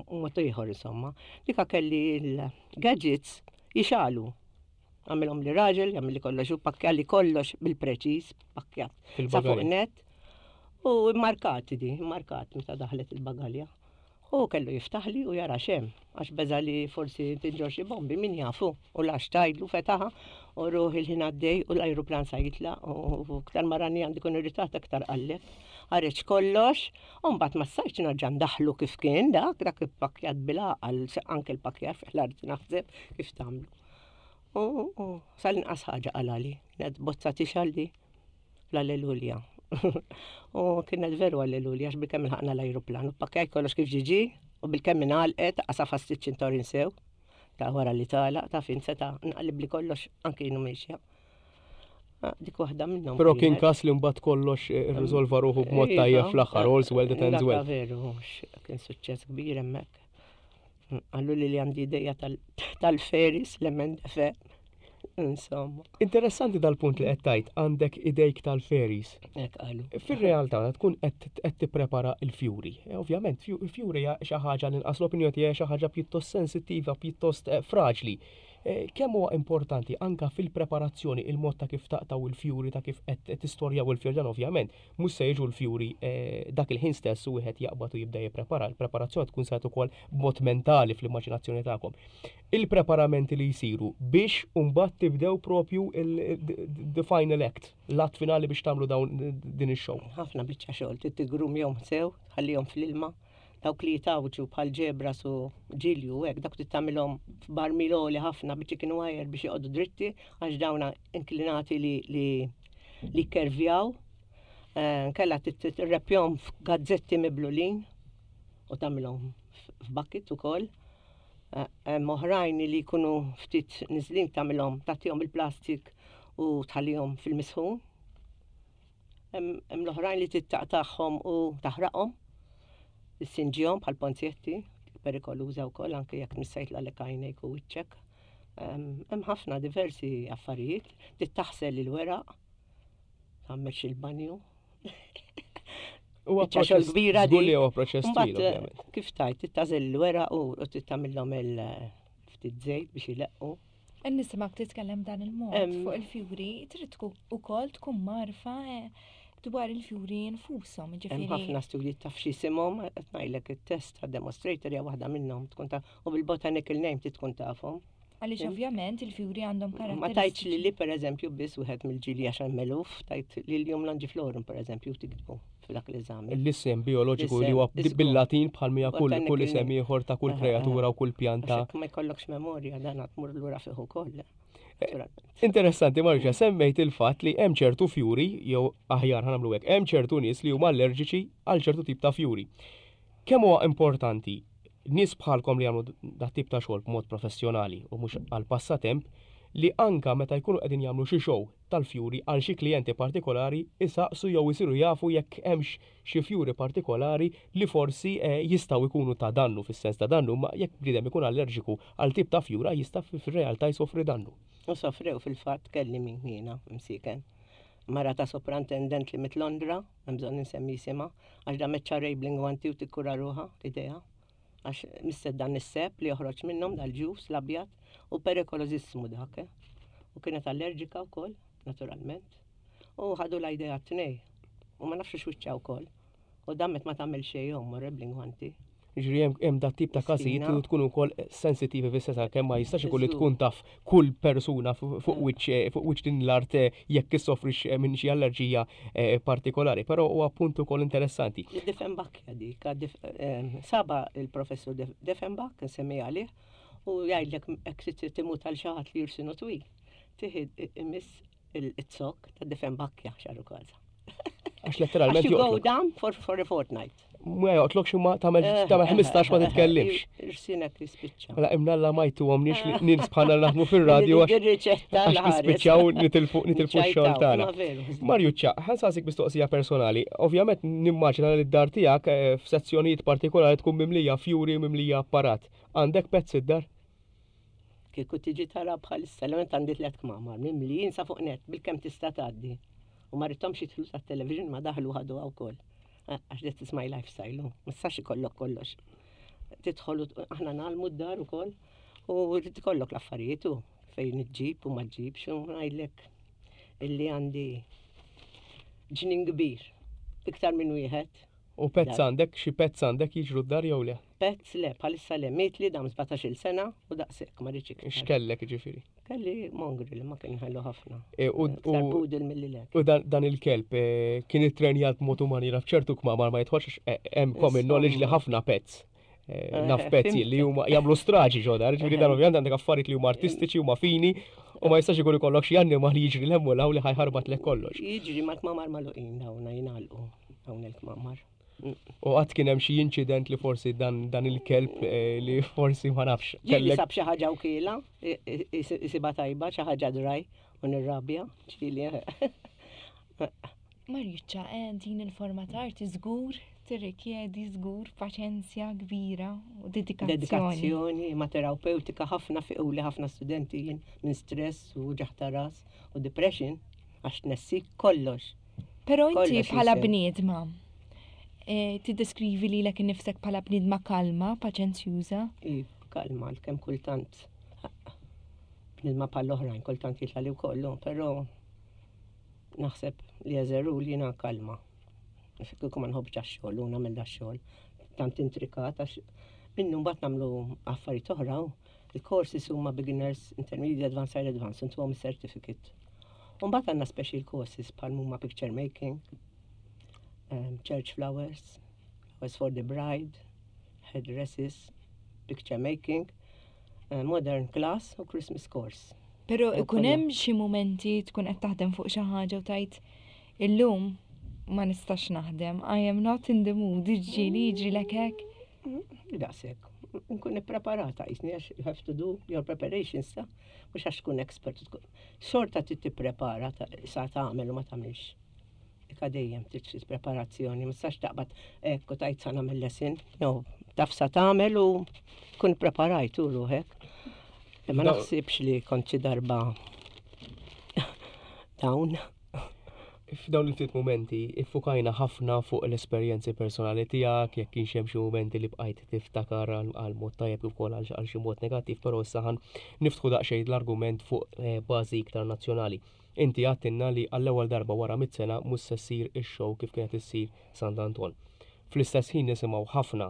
mod ieħor insomma. Dika kelli l-gadgets jixegħlu. Għamilhom li raġel, għamil li kollox, u pakkja li kollox bil-preċiż, pakkjat. Sa fuq Fil-bagalja. net. U markat di, markat meta daħlet il-bagalja. U kellu jiftaħli u jara xem. Għax beża' li forsi tinġorr xi bombi, min jafu. U lax tgħidlu fetaħa u ruħi l-ħin għaddej u l-ajruplan sa jitlaq u aktar ma rani għandi kun irritat aktar qalleb. Ħareġ kollox u mbagħad ma stajtx nerġa' ndaħħlu kif kien dak, dak ippakkjat bil-għaqal, anke l-pakkjar fih l-art naħseb kif tagħmlu. U sal-inqas ħaġa qalali, kienet bozza tixgħal di. L-Allelulja. U kienet veru Allelulja, għax bilkemm ilħaqna l-ajruplan. U pakkjajt kollox kif ġiġi, u bilkemm ingħalqet, qasa ċ-ċintorin sew, ta' wara li tagħlaq, ta' fin seta' nqallib li kollox anki jienu miexja. Ah, dik waħda minnhom. Però kien każ li mbagħad kollox eh, irriżolva ruħu b'mod iva, tajjeb fl-aħħar, all's well that ends well. Veru, kien suċċess kbir hemmhekk. Qallu li li għandi ideja tal-feris, l-emendefe. Insomma. Interessanti dal-punt li qed tgħid għandek idejk tal-feris. Hekk qalu. Fir-realtà tkun qed tipprepara l-fjuri. E, ovvjament, fjuri hija xi ħaġa li nqas l-opinjoni tiegħi xi ħaġa pjuttost sensittiva, pjuttost eh, fraġli. E, kemm huwa importanti anka fil-preparazzjoni il-mod ta' kif taqtaw il-fjuri ta' kif qed tistorjaw il-fjuri dan ovvjament Mhux se jiġu l-fjuri dak il-ħin stess u wieħed jaqbad u jibda jipprepara. Il-preparazzjoni tkun saret ukoll b'mod mentali fl-immaġinazzjoni tagħkom. Il-preparamenti li jsiru biex mbagħad tibdew propju the final act, l-att finali biex tagħmlu dawn din ix-show. Ħafna biċċa xogħol, trid tiggrumjhom sew, tħallihom fl-ilma, dawk li jitgħawġu bħal ġebras u ġilju u hekk, dawk trid tagħmilhom f'barmil għoli ħafna bi chicken wire biex joqogħdu dritti għax dawn inklinati li li li jkervjaw. Eh, nkella tirrepjhom f'gazzetti miblulin u tagħmilhom f'bucket ukoll. Eh, hemm oħrajn li jkunu ftit niżlin tagħmilhom tagħtihom il-plastik u tħallihom fil-misħun. Hemm l-oħrajn li tittaqtagħhom u taħraqhom, tissinġihom bħal ponzjetti, perikoluża wkoll anke jekk missajt l-għalek għajnejk u wiċċek. Hemm ħafna diversi affarijiet, trid taħsel il-weraq, tagħmel il-banju. Huwa proċess kbira di. Huwa proċess twil, eh, Kif tajt, tagħżel il-weraq u tagħmilhom il-ftit żejt biex ileqqu. Nisimak titkellem dan il-mod fuq il-fjuri, trid ukoll tkun marfa eh, dwar il-fjuri nfushom, ġifieri. Hemm ħafna studji taf x'isimhom, qed ngħidlek it-test ta' demonstrator hija waħda minnhom tkun ta' u bil-botanical name trid tkun tafhom. Għaliex ovvjament il-fjuri għandhom karatteristiċi. Ma tajtx li li pereżempju biss wieħed mill-ġili għax hemm eluf, tajt li l-jum longiflorum pereżempju tiktbu f'dak l-eżami. L-isem bioloġiku li huwa bil-Latin bħal mija kull kull isem ieħor ta' kull kreatura u kull pjanta. Ma jkollokx memorja dan tmur lura fih ukoll. Interessanti Marġa, semmejt il-fatt li hemm ċertu fjuri, jew aħjar ħanamlu hekk, hemm ċertu nies li huma allerġiċi għal ċertu tip ta' fjuri. Kemm huwa importanti nies bħalkom li jagħmlu dat tip ta' xogħol b'mod professjonali u mhux għal passatemp li anka meta jkunu qegħdin jagħmlu xi show tal-fjuri għal xi klijenti partikolari isaqsu jew isiru jafu jekk hemmx xi fjuri partikolari li forsi jistgħu jkunu ta' dannu fis-sens ta' dannu imma jekk bniedem ikun allerġiku għal tip ta' fjura jista' fir-realtà jsofri dannu. U sofrew fil-fatt kelli min jiena msiken. Mara ta' soprantendent li mit Londra, hemm bżonn insemmi isimha, għax damet xahrejn bl-ingwanti u tikkura ruħha, idejha. Għax misset dan is-seb li joħroġ minnhom dal-ġus l-abjad u perikolożissimu dak. Eh? U kienet allerġika wkoll, naturalment. U ħadu l-idea t-tnej. U ma nafx x'wiċċa wkoll. U damet ma tagħmel xejn omm bl-ingwanti. Ġifieri hemm dat tip ta' każijiet li tkun ukoll sensittivi fis-sens għalkemm ma jistax ikun li tkun taf kull persuna fuq eh. wiċċ eh, fuq wiċċ din l-art eh, jekk issofrix minn xi allerġija partikolari, però huwa punt ukoll interessanti. Diffenbach dik, saba il-professur Defenbach, nsemmi għalih, u jgħidlek hekk trid timut għal xi ħadd li jirsinu twil. Tieħed imiss il-zokk ta' Defenbachja xaru kaza. Għax letteralment. You go down for, for a fortnight. Ma joqtlokx imma tagħmel eh, tagħmel 15 ma eh, titkellimx. Irsinek jispiċċa. Mela imnalla ma jtuhomniex li nies bħalna naħdmu fir-radju għax nispiċċaw nitilfu nitilfu x-xogħol tagħna. Marjuċċa, ħansaqsik mistoqsija personali. Ovvjament nimmaġina li d-dar tiegħek eh, f'sezzjonijiet partikolari tkun mimlija fjuri mimlija apparat. Għandek pezz id-dar? Kieku tiġi tara bħalissa, l-għament għandi tlet kmamar, mimlijin sa fuq net, bil-kem tista' tgħaddi. U ma rridhomx jidħlu tat-television ma daħlu ħadu wkoll. Għax that is my lifestyle, ma tistax ikollok kollox. Tidħol aħna nagħlmu d-dar ukoll u rrid ikollok l-affarijiet u fejn iġġib u ma ġġibx u ngħidlek illi għandi ġnien kbir, iktar minn wieħed. U pets għandek, xi pets għandek jiġru d-dar jew le? Pets le, bħalissa le, mietli dam 17-il sena u daqshekk ma rridx iktar. X'kellek ġifieri? Kelli mongrel ma kien ħellu ħafna. E, Iktar poodle milli le. U dan il-kelb e, kien ittrenjat b'mod u maniera f'ċertu kmamar ma jidħolx għax, e, hemm common knowledge li ħafna pets naf pezzi li huma jagħmlu straġi ġodar, ġifieri dan ovvjament għandek affarijiet li huma artistiċi huma fini u ma jistax ikun ikollok xi annimal li jiġri l-hemm u li ħajħarbat lek kollox. Jiġri mal-kmamar magħluqin dawn jingħalqu dawn il-kmamar. U qatt kien hemm xi inċident li forsi dan, dan il-kelb eh, li forsi ma nafx. Ġieli sab xi ħaġa u kiela, isiba tajba, xi ħaġa draj u nirrabja, ġieli. Marjuċċa, eh, din il-forma ta' arti żgur tirrikjedi żgur paċenzja kbira u dedikazzjoni. Dedikazzjoni, ma terapeutika ħafna fiqu li ħafna studenti jien minn stress u ġaħta ras u depression għax tnessik kollox. Però inti bħala bniedma, eh, tiddeskrivi lilek innifsek bħala bniedma kalma, paċenzjuża? Iva, kalma, għalkemm kultant bniedma bħal oħrajn, kultant jitlali wkoll, però Naħseb li as a rule jiena kalma. Kieku ma nħobbx dax-xogħol u nagħmel dax-xogħol tant intrikat għax minnu mbagħad nagħmlu affarijiet oħra. Il-courses huma beginners, intermediate, advanced, higher advanced, intuhom certificate. U mbagħad għandna special courses bħal huma picture making, um, church flowers, flowers for the bride, headdresses, picture making, uh, modern class u Christmas course. Però ikun hemm xi mumenti tkun qed taħdem fuq xi ħaġa u tgħid illum ma nistax naħdem, I am not in the mood, ġieli jiġrilek hekk? Daqshekk. Nkun ippreparata jisni għax you have to do your preparations ta' mhux għax tkun expert. Xorta trid tipprepara sa tagħmel u ma tagħmilx. Ika dejjem trid ftit preparazzjoni, ma tistax taqbad hekk u tgħid sa nagħmel lesson. No, taf sa tagħmel u tkun preparajt u ruħek. Ma naħsibx li kont xi darba down. F'dawn il-ftit mumenti iffukajna ħafna fuq l-esperjenzi personali tiegħek, jekk kienx hemm xi mumenti li bqajt tiftakar għal mod tajjeb kif ukoll għal xi mod negattiv, però issa ħan niftħu daqsxejn l-argument fuq eh, bażi iktar nazzjonali. Inti għedtilna li għall-ewwel darba wara mitt sena mhux se ssir ix-show kif kienet issir Sant'Anton. Fl-istess ħin nisimgħu ħafna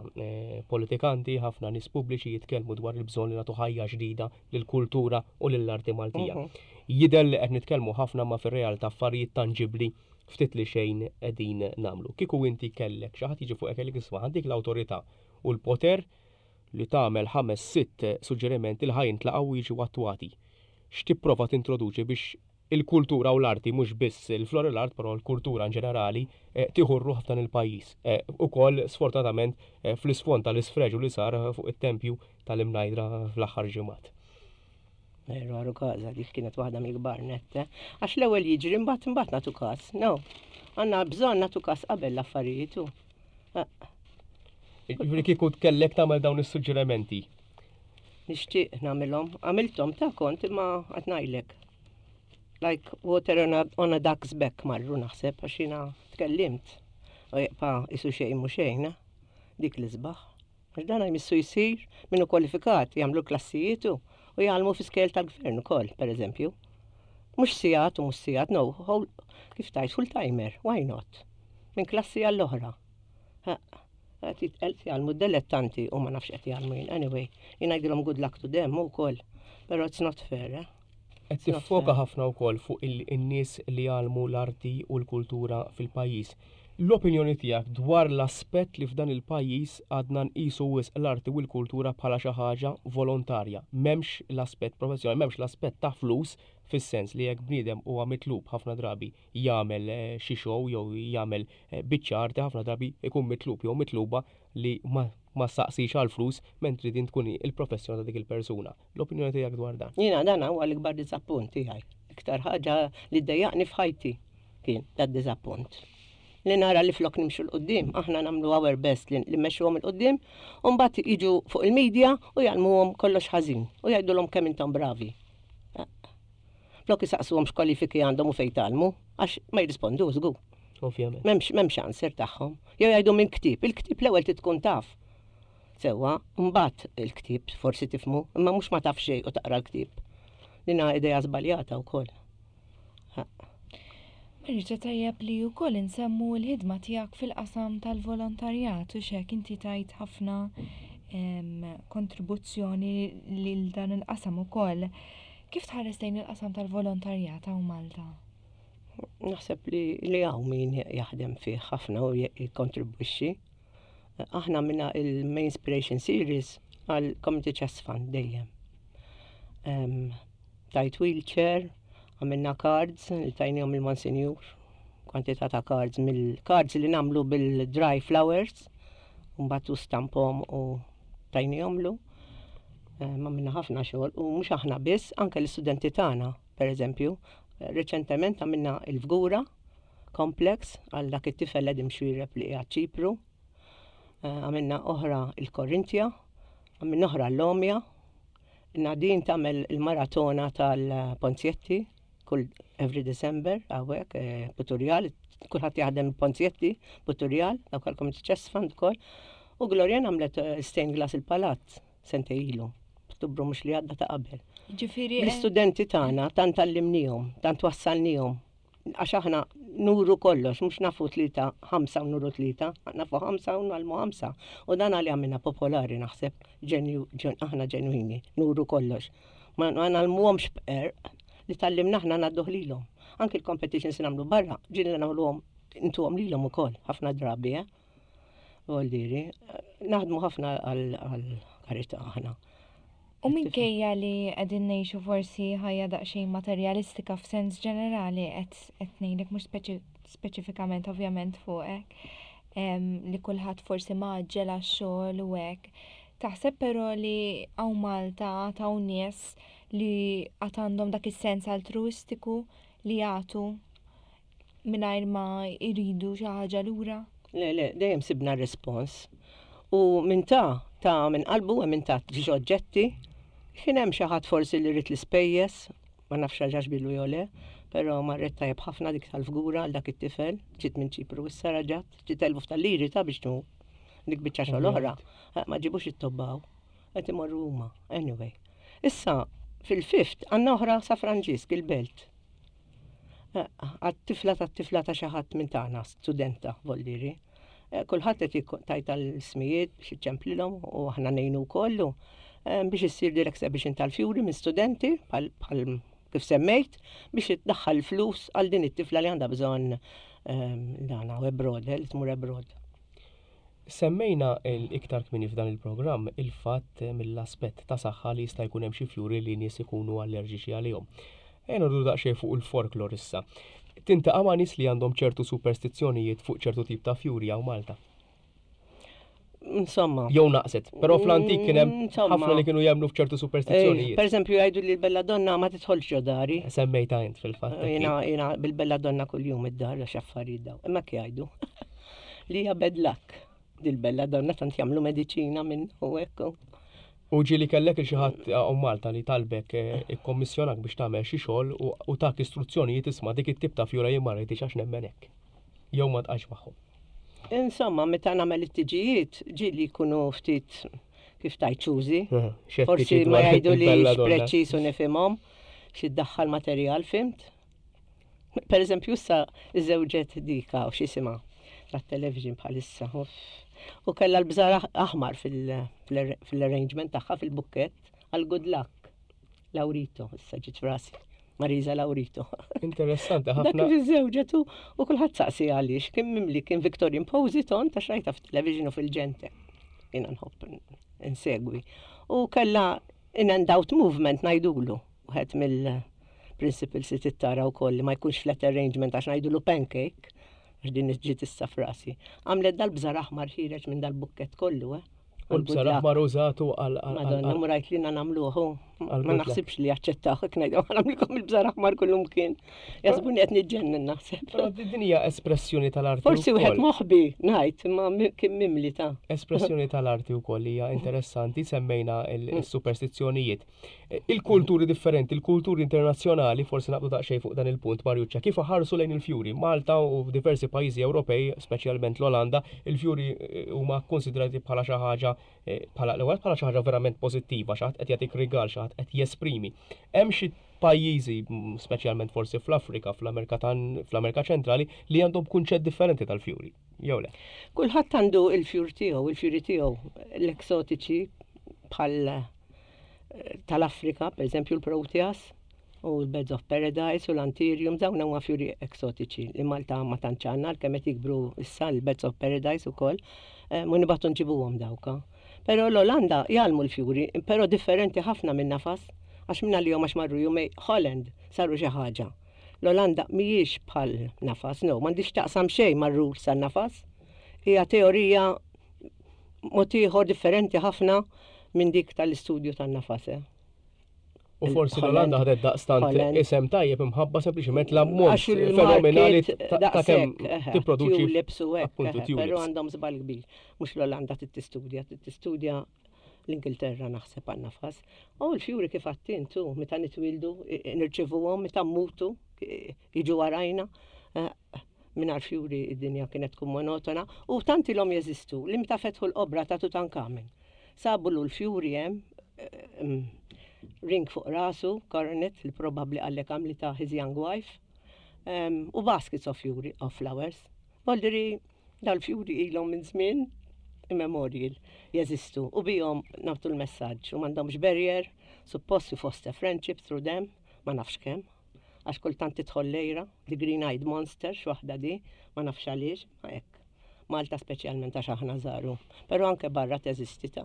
politikanti, ħafna nies pubbliċi jitkellmu dwar il-bżonn li nagħtu ħajja ġdida lill-kultura u lill-arti Maltija. Jidher li qed nitkellmu ħafna imma fir-realtà affarijiet tanġibbli ftit li xejn qegħdin nagħmlu. Kieku inti kellek xi ħadd jiġi fuqek jgħidlek isma' ħa ntik l-awtorità u l-poter li tagħmel ħames sitt suġġerimenti li ħa jintlaqgħu u jiġu attwati. X'tipprova tintroduċi biex il-kultura u l-arti, mhux biss il-flori l-art, però l-kultura in ġenerali, tieħu r-ruħ f'dan il-pajjiż. Ukoll, sfortunatament, fl-isfond tal-isfreġu li sar fuq it-tempju tal-Imnajdra fl-aħħar ġimgħat. Veru għaru kaza, dik kienet waħda mill-kbar nett, eh? Għax l-ewwel jiġri mbagħad imbagħad nagħtu każ. No. Għandna bżonn nagħtu każ qabel l-affarijiet u. Eh. Jiġifieri kieku kellek tagħmel dawn is-suġġerimenti. Nixtieq nagħmilhom, għamilthom ta' kont imma qed ngħidlek. Like water on a, on a duck's back marru naħseb għax jiena tkellimt. U jibqa' isu xejn mhu xejn, eh? Dik l-isbaħ. Għax dan jmissu jsir minnu kwalifikat jagħmlu klassijiet u jgħallmu fi skejjel tal-gvern ukoll, pereżempju. Mhux sigħat u mhux sigħat, no, whole, kif tgħid full timer, why not? Minn klassi għall-oħra. Qed jgħallmu dilettanti u ma nafx qed jgħallmu jien. Anyway, jien ngħidilhom good luck to them ukoll. Però it's not fair, eh? Qed tiffoka ħafna wkoll fuq in-nies li jgħallmu l-arti u l-kultura fil-pajjiż. L-opinjoni tiegħek dwar l-aspett li f'dan il-pajjiż għadna nqisu wisq l-arti u l-kultura bħala xi ħaġa volontarja, m'hemmx l-aspett professjonali, m'hemmx l-aspett ta' flus fis-sens li jekk bniedem huwa mitlub ħafna drabi jagħmel xi show jew jagħmel biċċa arti ħafna drabi jkun mitlub jew mitluba li ma ma ssaqsix għall-flus mentri din tkun il-professjoni ta' dik il-persuna. L-opinjoni tiegħek dwar dan? Jiena dan huwa l-ikbar diżappunt tiegħi. L-iktar ħaġa li ddejjaqni f'ħajti kien dad-diżappunt. Li nara li flok nimxu 'l quddiem, aħna nagħmlu our best li mmexxuhom 'il quddiem, u mbagħad jiġu fuq il-media u jgħallmuhom kollox ħażin u jgħidulhom kemm intom bravi. Flok isaqsuhom x'kwalifiki għandhom u fejn tgħallmu, għax ma jirrispondu żgur. Ovvjament. M'hemmx m'hemmx answer tagħhom. Jew jgħidu minn ktieb, il-ktieb l-ewwel trid tkun taf. Sewwa, mbagħad il-ktieb forsi tifhmu, imma mhux ma taf xejn u taqra l-ktieb. Din idea żbaljata wkoll. Irġa' tajjeb li wkoll insemmu l-ħidma tiegħek fil-qasam tal-volontarjat u x'hekk inti tajt ħafna kontribuzzjoni lil dan il-qasam ukoll. Kif tħares lejn il-qasam tal-volontarjat hawn Malta? Naħseb li li hawn min jaħdem fih ħafna u jikkontribwixxi. Aħna minna il-Main Inspiration Series għal Community Chest Fund dejjem. Tajt wheelchair, għamilna cards li tajnihom il-Monsinjur, kwantità ta' cards mill-cards li namlu bil-dry flowers, mbagħad u stampom u tajnihomlu. Għamilna ħafna xogħol u mhux aħna biss, anke l-istudenti tagħna, pereżempju, reċentement għamilna il-Fgura Complex għal dak it-tifel Edim Xuereb li qiegħed Ċipru. Għamilna oħra il-Korintja, għamilna oħra l-Lomja. Nadine tagħmel il-maratona tal-Ponzjetti kull every December hawnhekk eh, Puturjal, kulħadd jaħdem il-Ponzjetti Puturjal, dawk għall-Community Chest Fund ukoll. U Glorian għamlet eh, stained glass il-palazz sentej ilu. Ottubru mhux li għadda ta' qabel. Ġifieri eh, L-istudenti tagħna tant għallimnihom, tant wassalnihom Għax aħna nuru kollox, mhux nafu tlieta, ħamsa u nuru tlieta, nafu ħamsa u nagħlmu ħamsa. U dan għalli għamilna popolari naħseb, aħna ġenwini, nuru kollox. Ma nagħlmuhomx b'qerq li tallimna aħna ngħadduh lilhom. Anki l-competitions li nagħmlu barra, ġieli nagħmluhom intuhom lilhom ukoll, ħafna drabi, eh? Voldiri, naħdmu ħafna għal karità aħna. U minkejja li qegħdin ngħixu forsi ħajja daqsxejn materjalistika f'sens ġenerali qed qed ngħidlek mhux speċifikament ovvjament fuqek, li kulħadd forsi mgħaġġel għax-xogħol u hekk. Taħseb però li hawn Malta għad hawn nies li għad għandhom dak is-sens altruistiku li jagħtu mingħajr ma jridu xi ħaġa lura? Le, le, dejjem sibna respons. U minn ta' ta' minn qalbu hemm min ta' xi oġġetti. Kien hemm xi ħadd forsi li ried l-ispejjeż, ma nafx raġax bilu jew le, però marret tajjeb ħafna dik tal-fgura għal dak it-tifel, ġiet minn Ċipru issa raġat, ġiet eluf tal-liri ta' biex tmur. Dik biċċa xogħol oħra, eh, ma ġibux it-tobbaw, qed imorru huma, anyway. Issa, fil-fift għandna oħra sa Franġisk il-belt. Għat-tifla tat-tifla ta' xi ħadd minn tagħna, studenta voldiri. Eh, kulħadd qed tajt tal-ismijiet biex iċċemplilhom u aħna ngħinu wkoll eh, biex issir din exhibition tal-fjuri minn studenti bħal kif semmejt biex iddaħħal flus għal din it-tifla li għandha bżonn eh, dana u abroad, li tmur abroad. Semmejna iktar kmieni f'dan il-programm il-fatt mill-aspett ta' saħħa li jista' jkun hemm xi fjuri li nies ikunu allerġiċi għalihom. Ejja noqogħdu daqsxejn fuq il-folklor issa. Tintaqa' ma' nies li għandhom ċertu superstizzjonijiet fuq ċertu tip ta' fjuri hawn Malta? Insomma. Jew naqset, però fl-antik kien hemm ħafna li kienu jemmnu f'ċertu superstizzjonijiet. Per eżempju jgħidu li l-belladonna ma tidħolx ġo dari. Semmejta int fil-fatt. Jiena jiena bil-belladonna kuljum id-dar għax affarijiet daw. Imma jgħidu. Li hija bad luck. Dil-belladonna tant jagħmlu mediċina minn u hekk. U ġieli kellek il xi ħadd hawn Malta li talbek eh, ikkommissjonak biex tagħmel xi xogħol u tak istruzzjonijiet isma' dik it-tip ta' fjura jien ma rridix għax nemmen hekk. Jew ma tqajx magħhom. Insomma, meta nagħmel it-tiġijiet, ġieli jkunu ftit kif tajt ċużi. Forsi ma jgħidu li preċiż u nifhimhom xi ddaħħal materjal fimt. Per eżempju, issa iżewġet dika u x'isimha tat-television bħalissa. U kellha l-bżar aħmar fil-arrangement tagħha fil-bukkett għal good luck. Laurito, issa ġiet frasi. Marisa Laurito. Interessanti ħafna. Dak kif iżewġet u kulħadd saqsi għaliex kien mimli kien Victorian Positon ta' xrajta fit-television u fil-ġente. Jiena nħobb insegwi. U kellha in and out movement ngħidulu. Wieħed mill-principles li tittara wkoll li ma jkunx flat arrangement għax ngħidulu pancake, għax din ġiet issa frasi. Għamlet dal-bżar aħmar ħireġ minn dal-bukket kollu, eh. U l-bżar aħmar użatu għal. Madonna, murajt li nagħmluh. Ma naħsibx li jaċċettaw hekk ngħidu nagħmlilkom il-bżar aħmar kullum kien. Jaħsbuni qed niġġennen naħseb. Però din hija espressjoni tal-arti. Forsi wieħed moħbi ngħid imma kien mimli ta' Espressjoni tal-arti wkoll hija interessanti semmejna l-superstizzjonijiet. Il-kulturi differenti, il-kulturi internazzjonali, forsi naqbdu daqsxejn fuq dan il-punt, Marjuċċa, kif iħarsu lejn il-fjuri? Malta u f'diversi pajjiżi Ewropej, speċjalment l-Olanda, il-fjuri eh, huma kkonsidrati bħala xi ħaġa eh, bħala l-ewwel bħala xi ħaġa verament pożittiva, xi ħadd qed jagħtik rigal, xi ħadd kulħadd qed jesprimi. Hemm xi pajjiżi, speċjalment forsi fl-Afrika, fl-Amerika fl-Amerika Ċentrali, li għandhom kunċett differenti tal-fjuri, jew le? Kulħadd għandu il-fjur tiegħu, il-fjuri tiegħu, l-eksotiċi bħal eh, tal-Afrika, per eżempju l-Proteas u l-Birds of Paradise u l-Anthurium, dawn huma fjuri eksotiċi li Malta ma tantx għandna għalkemm qed jikbru issa l-Birds of Paradise ukoll, eh, mu nibgħatu nġibuhom dawka. Però l-Olanda jgħallmu l-fjuri, però differenti ħafna minn nafas, għax minn għalihom għax marru jumej Holland saru xi ħaġa. L-Olanda mhijiex bħal nafas, no, m'għandix taqsam xejn mar-rules tan-nafas. Hija teorija mod ieħor differenti ħafna minn dik tal-istudju tan-nafas. Eh. U forsi l-Olanda ħadet daqstant isem tajjeb imħabba sempliċement l-ammont fenomenali ta' kemm tipproduċi. Tulips u hekk, però għandhom żball kbir. Mhux l-Olanda trid tistudja, trid tistudja l-Ingilterra naħseb għan nafas. U l-fjuri kif għattintu, meta nitwildu, nirċivuhom, meta mmutu, jiġu warajna. Eh, mingħajr fjuri id-dinja kienet tkun monotona u tant ilhom jeżistu li meta fetħu l-qobra ta' Tutankamen. Sabu l fjuri hemm eh, ring fuq rasu, coronet li probabbli għallek għamlita his young wife, u baskets of fjuri, of flowers. Voldiri dal-fjuri ilhom minn żmien immemorial jeżistu u bihom nagħtu l-messaġġ u m'għandhomx barrier, suppost you foster friendship through them, ma nafx kemm għax kultant tidħol lejra, the green eyed monster, x'waħda di, ma nafx għaliex, ma hekk. Malta speċjalment għax aħna żaru, però anke barra teżisti ta'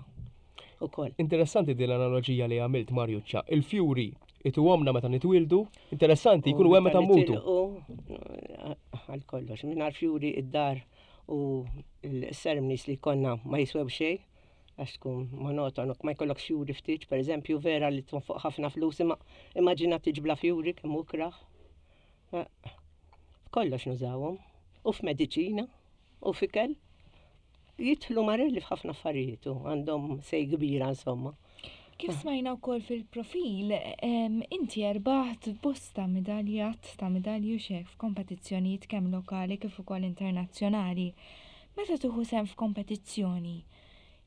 ukoll. Interessanti din l-analoġija li għamilt Marjuċċa. Il-fjuri ituhomna meta nitwildu, interessanti jkunu hemm meta mmutu. Għal kollox, mingħajr fjuri id-dar u l-ceremonies li konna ma jiswew xejn għax tkun monotonu, ma jkollok fjuri ftit, per eżempju, vera li fuq ħafna flus, imma immaġina tiġbla fjuri kemm ukraħ. Eh, kollox nużawhom. U f'mediċina, u f'ikel. Jidħlu marelli f'ħafna affarijiet u għandhom sej kbira insomma. Kif smajna wkoll fil-profil, inti erbaħt bosta medaljat ta' medalju xek f'kompetizzjonijiet kemm lokali kif ukoll internazzjonali. Meta tieħu sehem f'kompetizzjoni,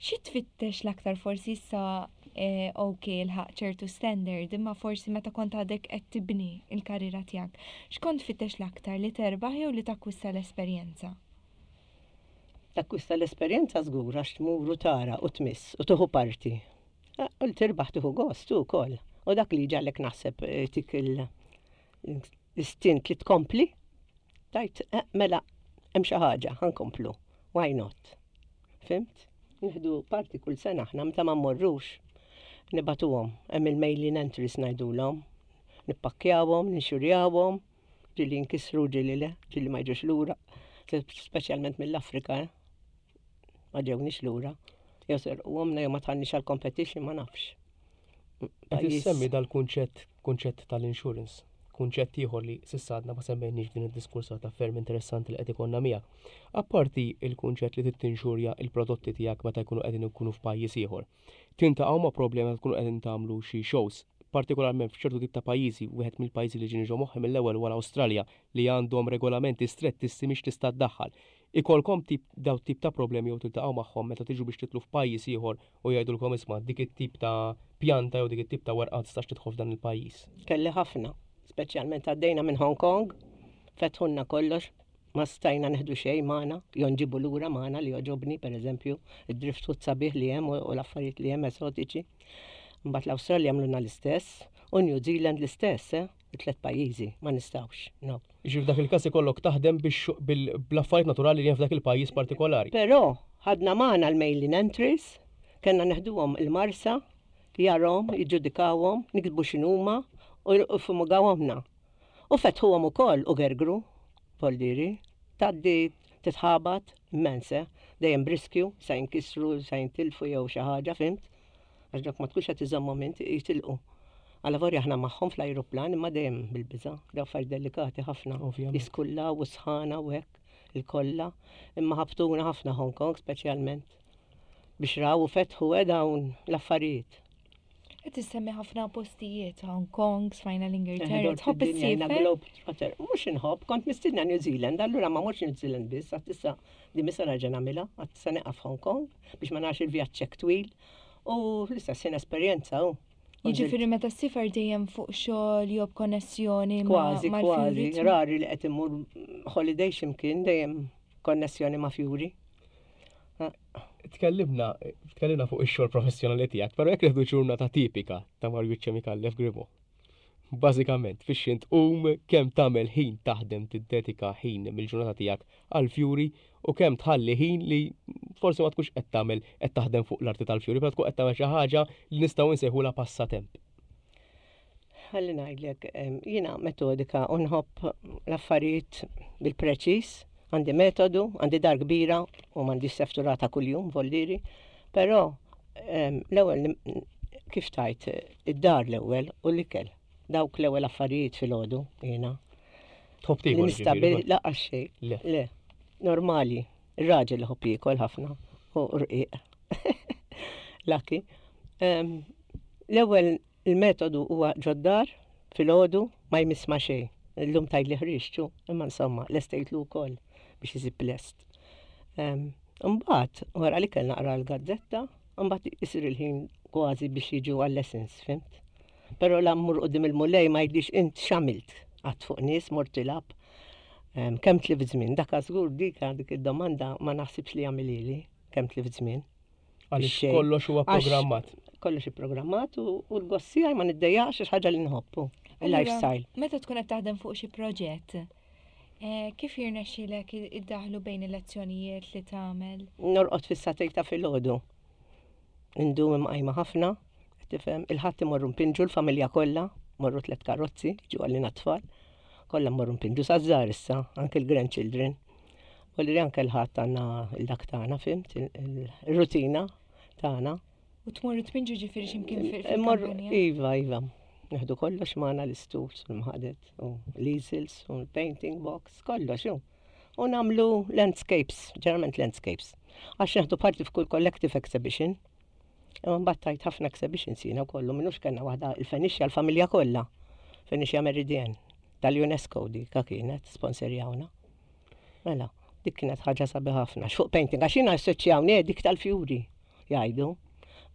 xi tfittex l-aktar forsi issa eh, ok lħaq ċertu standard, imma forsi meta kont għadek qed tibni il-karriera tiegħek, x'kont tfittex l-aktar li terbaħ jew li takkwista l-esperjenza? Takkwista l-esperjenza żgur għax tmur u tara u tmiss u tieħu parti. Eh, u li tirbaħ tieħu gost ukoll. U dak li ġalek naħseb eh, tik l-istint li tkompli, tajt eh, mela hemm xi ħaġa ħankomplu. Why not? Fimt? Nieħdu parti kull sena aħna meta ma mmorrux nibatuhom hemm il-mailing entries ngħidulhom. Nippakkjawhom, ninxurjawhom, ġieli jinkisru, ġieli le, ġieli ma jiġux lura, speċjalment mill-Afrika, eh? Ma ġewniex lura. Jew serquhomna jew ma tħallniex għall-competition ma nafx. Qed issemmi dal-kunċett kunċett tal-insurance, kunċett ieħor li s'issa għadna ma semmejniex f'din id-diskursata ferm interessanti li qed ikollna miegħek. Apparti il-kunċett li trid tinxurja il-prodotti tiegħek meta jkunu qegħdin ikunu f'pajjiż ieħor. Tintaqgħu ma' problemi meta tkunu qegħdin tagħmlu xi shows, partikolarment f'ċertu tip ta' pajjiżi, wieħed mill-pajjiżi li ġieni ġo moħħi mill-ewwel huwa l-Awstralja li għandhom regolamenti strettissimi x'tista' ddaħħal. Ikollkom tip daw tip ta' problemi jew tiltaqgħu magħhom meta tiġu biex titlu f'pajjiż ieħor u jgħidulkom isma' dik it-tip ta' pjanta jew dik it-tip ta' werqa ma tistax tidħol f'dan il-pajjiż? Kelli ħafna, speċjalment għaddejna minn Hong Kong, fetħulna kollox, ma stajna neħdu xejn magħna, jew nġibu lura magħna li jogħġobni, pereżempju, id-driftwood sabiħ li hemm u l-affarijiet li hemm esotiċi. Mbagħad l-Awstralja għamlulna l-istess u New Zealand l-istess, eh? it-tlet pajjiżi, ma nistgħux, no. Jiġifieri f'dak il-każ ikollok taħdem biex bl-affarijiet naturali li hemm f'dak il-pajjiż partikolari. Però ħadna magħna l-mailing entries, kellna neħduhom il-Marsa, jarahom, jiġġudikawhom, niktbu x'inhuma u jiffumugawhomlna. U fetħuhom ukoll u gergru, Voldieri. Tgħaddi titħabat immens, eh? Dejjem b'riskju, sa jinkisru, sa jintilfu jew xi ħaġa, fhimt? Għax dawk ma tkunx qed iżommhom int, jitilqu. Alavolja aħna magħhom fl-ajruplan imma dejjem bil-biża', daw affarijiet delikati ħafna. Jiskullaw u sħana u hekk il-kollha. Imma ħabtuna ħafna Hong Kong speċjalment biex raw u fetħu eh, dawn l-affarijiet. Qed issemmi ħafna postijiet, Hong Kong, smajna l-Ingilterra, tħobb issiefer? Mhux inħobb, kont mistiedna New Zealand, allura ma morx New Zealand biss, għad issa di misa nerġa' nagħmilha, għad se nieqaf Hong Kong biex ma narax il-vjaġġ hekk twil. U l-istess ħin esperjenza u. Jiġifieri meta ssiefer dejjem fuq xogħol jew b'konnessjoni ma' Kważi, kważi, rari li qed immur holiday x'imkien dejjem konnessjoni ma' fjuri. Tkellimna, tkellimna fuq ix-xogħol professjonali tiegħek, però jekk nieħdu ġurnata tipika ta' Marjuċċa Micallef Grimaud. Bażikament, fiex int tqum, kemm tagħmel ħin taħdem tiddedika ħin mill-ġurnata tiegħek għall-fjuri u kemm tħalli ħin li forsi ma tkunx qed tagħmel qed taħdem fuq l-arti tal-fjuri, però tkun qed tagħmel xi ħaġa li nistgħu nsejħulha passatemp. Ħalli ngħidlek, jiena metodika u nħobb l-affarijiet bil-preċiż, għandi metodu, għandi dar kbira u m'għandix sefturata kuljum voldieri, però l-ewwel kif tajt id-dar l-ewwel u l-ikel. Dawk l-ewwel affarijiet filgħodu jiena. Tħobb tiekol? Nistabil laqas xejn. Le. Le. Normali. Ir-raġel iħobb jiekol ħafna u rqiq. Laki. L-ewwel il-metodu huwa ġod-dar filgħodu ma jmiss ma' xejn. Illum tgħidli ħriġtu, imma insomma lestejtlu wkoll biex isib lest. Imbagħad wara li kellna naqra l-gazzetta, imbagħad isir il-ħin kważi biex jiġu għal-lessons, fimt? Però la mmur quddiem il-Mulej ma jgħidlix int x'għamilt qatt fuq nies mort tilgħab. Kemm tlift żmien, dak żgur dik dik id-domanda ma naħsibx li jagħmilili kemm tlift żmien. Għaliex kollox huwa programmat. Kollox ipprogrammat u l-gost tiegħi ma niddejjaqx għax ħaġa li nħobbu. Il-lifestyle. Meta tkun qed taħdem fuq xi proġett, eh, kif jirnexxilek iddaħlu bejn il-lezzjonijiet li tagħmel? Norqod fis-satej ta' filgħodu. Indum imqajma ħafna, tifhem, il-Ħadd imorru npinġu l-familja kollha, morru tliet karozzi, ġu għalina tfal, kollha mmorru npinġu saż-żgħar issa, anke l-grandchildren. U li anke l-Ħadd għandna il-dak tagħna, fimt, il-rutina tagħna. U tmorru tpinġu ġifieri x'imkien fil-kampanja? Iva, iva. Neħdu kollox magħna l-istools, l-mħadet, u l-easels, u l-painting box, kollox. U nagħmlu landscapes, ġeneralment landscapes. Għax neħdu parti f'kull collective exhibition. Imma mbagħad tajt ħafna exhibitions jiena wkoll, minux kellna waħda il-Fenixja l-familja kollha. Fenixja Meridian tal-UNESCO dik kienet sponsorjawna. Mela, dik kienet ħaġa sabiħ ħafna. Fuq painting, għax jiena assoċjawni eh, dik tal-fjuri jgħidu.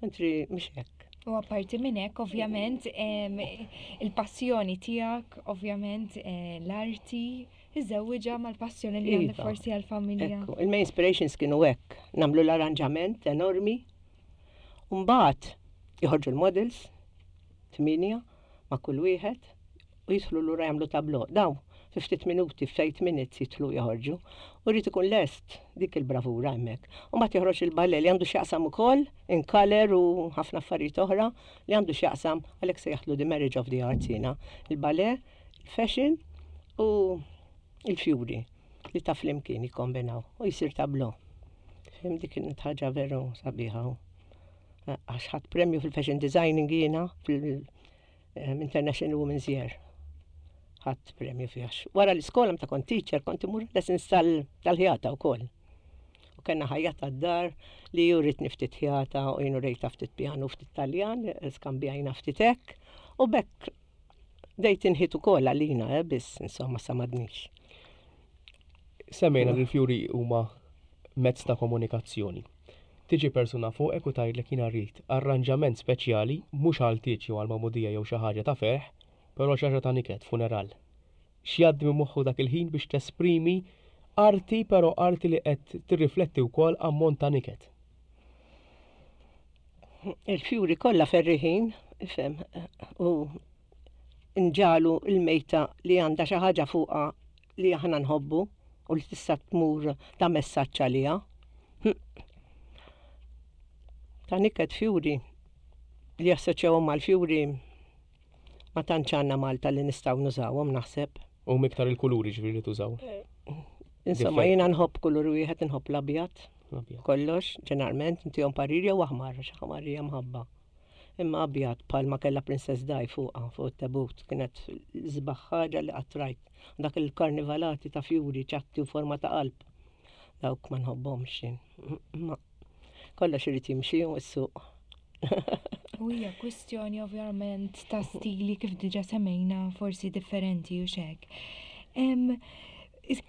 Mentri mhux hekk. U apparti minn hekk, ovvjament, il-passjoni tiegħek, ovvjament, eh, l-arti, Iżżewwiġha mal-passjoni li għandek iva. forsi għall-familja. Il-main inspirations kienu hekk, nagħmlu l-arranġament enormi. Mbagħad joħorġu l-models, tmienja ma' kull wieħed u jidħlu lura jagħmlu tablo. Daw, fi ftit minuti, f'eight minutes jidħlu joħorġu. U rrid ikun lest dik il-bravura hemmhekk. U mbagħad joħroġ il-ballet li għandu x'jaqsam ukoll in color u ħafna affarijiet oħra li għandu x'jaqsam għalhekk se jaħdlu the marriage of the arts jiena. Il-ballet il-fashion u il-fjuri li ta' flimkien jikkombinaw u jisir tablo. Fim dik kienet ħaġa veru sabiħa. Għax ħadd premju fil-fashion designing jiena fil-International Women's Year. Ħadd premju fiha. Wara l-iskola meta kont teacher kont imur lessons tal-ħjata wkoll. U kellna ħajjata d-dar li juritni ftit ħjata u jien urejta ftit pjanu ftit Taljan, skambjajna ftit hekk. U bekk Bdejt inħit ukoll għalina, eh, biss insomma sa m'għadnix. Semmejna li l-fjuri huma mezz ta' komunikazzjoni. Tiġi persuna fuqek u tgħidlek jiena rrid arranġament speċjali mhux għal tieġ jew għal magħmudija jew xi ħaġa ta' ferħ, però xi ħaġa ta' niket, funeral. X'jgħaddi minn moħħu dak il-ħin biex tesprimi arti però arti li qed tirrifletti wkoll ammont ta' niket? Il-fjuri kollha ferriħin, ifhem, u nġalu l-mejta li għandha xi ħaġa fuqha li aħna nħobbu u li tista' tmur ta' messaġġ għaliha. Hm. Ta' niket fjuri li jassoċjawhom mal-fjuri ma tantx għandna Malta li nistgħu nużawhom naħseb. U miktar il-kuluri ġifieri li tużaw. Eh, insomma, jiena nħobb kulur wieħed nħobb l-abjad. Kollox, ġeneralment, intihom parir jew aħmar, għax aħmar hija mħabba. Imma abjad bħalma kellha Princess Di fuqha fuq it-tebut kienet l-isbaħ ħaġa li qatt rajt. Dak il-karnivalati ta' fjuri ċatti u forma ta' qalb. Dawk ma nħobbhomx jien. Ma kollox irid jimxi u s-suq. U hija kwistjoni ovvjament ta' stili kif diġa semmejna forsi differenti u xek.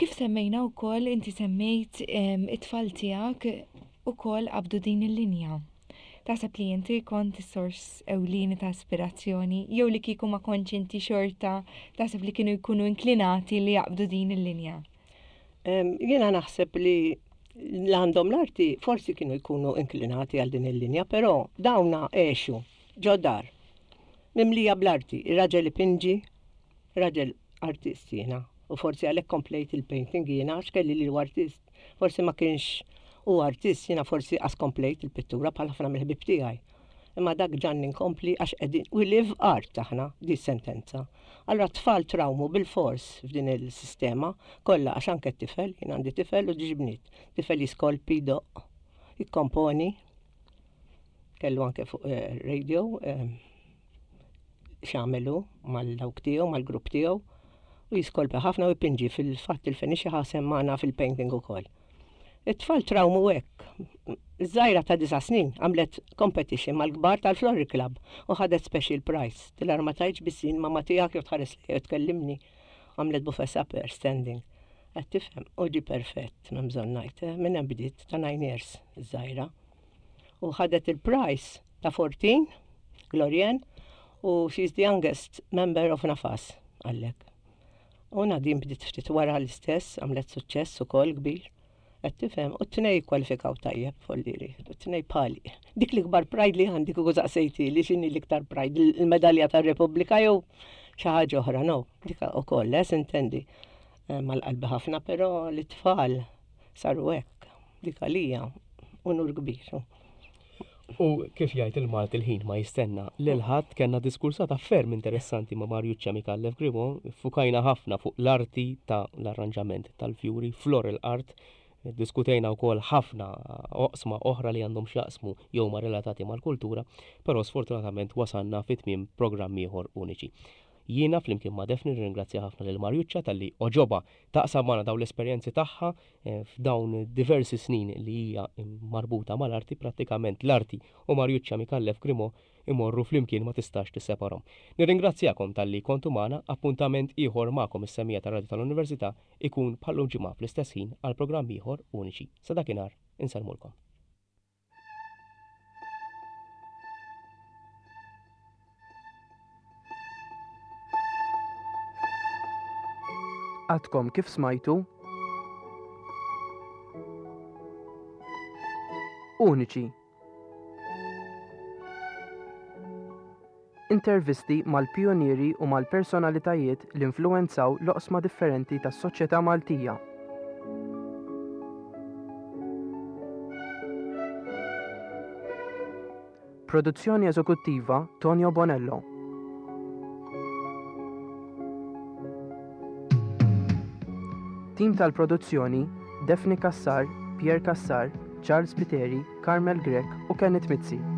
Kif semmejna wkoll inti semmejt it-tfal tiegħek ukoll qabdu din il-linja. Taħseb li inti kont is-sors ewlieni ta' ispirazzjoni jew li kieku ma kontx inti xorta taħseb li kienu jkunu inklinati li jaqbdu din il-linja? Jiena naħseb li l-għandhom l-arti forsi kienu jkunu inklinati għal din il-linja, però dawna għexu ġo dar mimlija bl-arti, ir-raġel ipinġi, raġel artist jiena, u forsi għalhekk komplejt il-painting jiena għax kelli li artist. Forsi ma kienx u artist jiena forsi qas komplejt il-pittura bħal ħafna mill-ħbieb tiegħi. Imma dak ġanni nkompli għax qegħdin we live art aħna di sentenza. Allura t-tfal trawmu bil-fors f'din il-sistema kollha għax anke t-tifel, jien għandi tifel u ġiġ bniet. Tifel jiskolpi, jdoqq, jikkomponi. Kellu anke fuq eh, radio eh, x'għamelu mal-dawk tiegħu, mal-grupp tiegħu u jiskolpi ħafna u jpinġi fil-fatt il-Feniċi ħasem magħna fil-painting ukoll. It-tfal trawmu hekk. Iż-żgħira ta' disa' snin għamlet competition mal-kbar tal-Florrie Club u ħadet special prize. Tilar ma tgħidx biss jien mamma tiegħek jew tħares lejja jew tkellimni. Għamlet buffet supper standing. Qed tifhem, u ġie perfett, m'hemm bżonn ngħid, eh, minn hemm bdiet ta' nine years iż-żgħira. U ħadet il-prize ta' 14, Glorian, u she's the youngest member of Nafas, għallek. U Nadine bdiet ftit wara l-istess, għamlet suċċess ukoll kbir. Qed tifhem, u t-tnej kwalifikaw tajjeb folliri, u t-tnej bħali. Dik l-ikbar pride li għandi kieku saqsejti li x'inhi l-iktar pride, il-medalja tar-Repubblika jew xi ħaġa oħra, no, dik ukoll, eh, sintendi. Eh, mal-qalbi ħafna, però l-tfal saru hekk, dik għalija unur kbir. U kif jgħid il-Malti l-ħin ma jistenna lil ħadd kellna diskursata ferm interessanti ma' Mariuccia Micallef Grimaud, iffukajna ħafna fuq l-arti ta' l-arranġament tal-fjuri, floral art, diskutejna wkoll ħafna oqsma oħra li għandhom x'jaqsmu jew ma relatati mal-kultura, però sfortunatament wasalna fi tmiem programm ieħor Uniċi. Jiena flimkien ma' Daphne nirringrazzja ħafna lil Mariuccia talli għoġobha taqsam magħna dawn l-esperjenzi tagħha f'dawn diversi snin li hija marbuta mal-arti, prattikament l-arti u Mariuccia Micallef Grimaud imorru flimkien ma tistax tisseparhom. Nirringrazzjakom talli kontu magħna, appuntament ieħor magħkom is-semmiegħa tar-Radju tal-Università ikun bħal-lum ġimgħa fl-istess ħin għal programm ieħor Uniċi. Sa dakinhar, insellmulkom. Għadkom kif smajtu Uniċi. Intervisti mal-pijunieri u mal-personalitajiet li influwenzaw l-oqsma differenti tas-soċjetà Maltija. Produzzjoni eżekuttiva Tonio Bonello. Tim tal-produzzjoni Daphne Cassar, Pierre Cassar, Charles Spiteri, Carmel Grech u Kenneth Mizzi.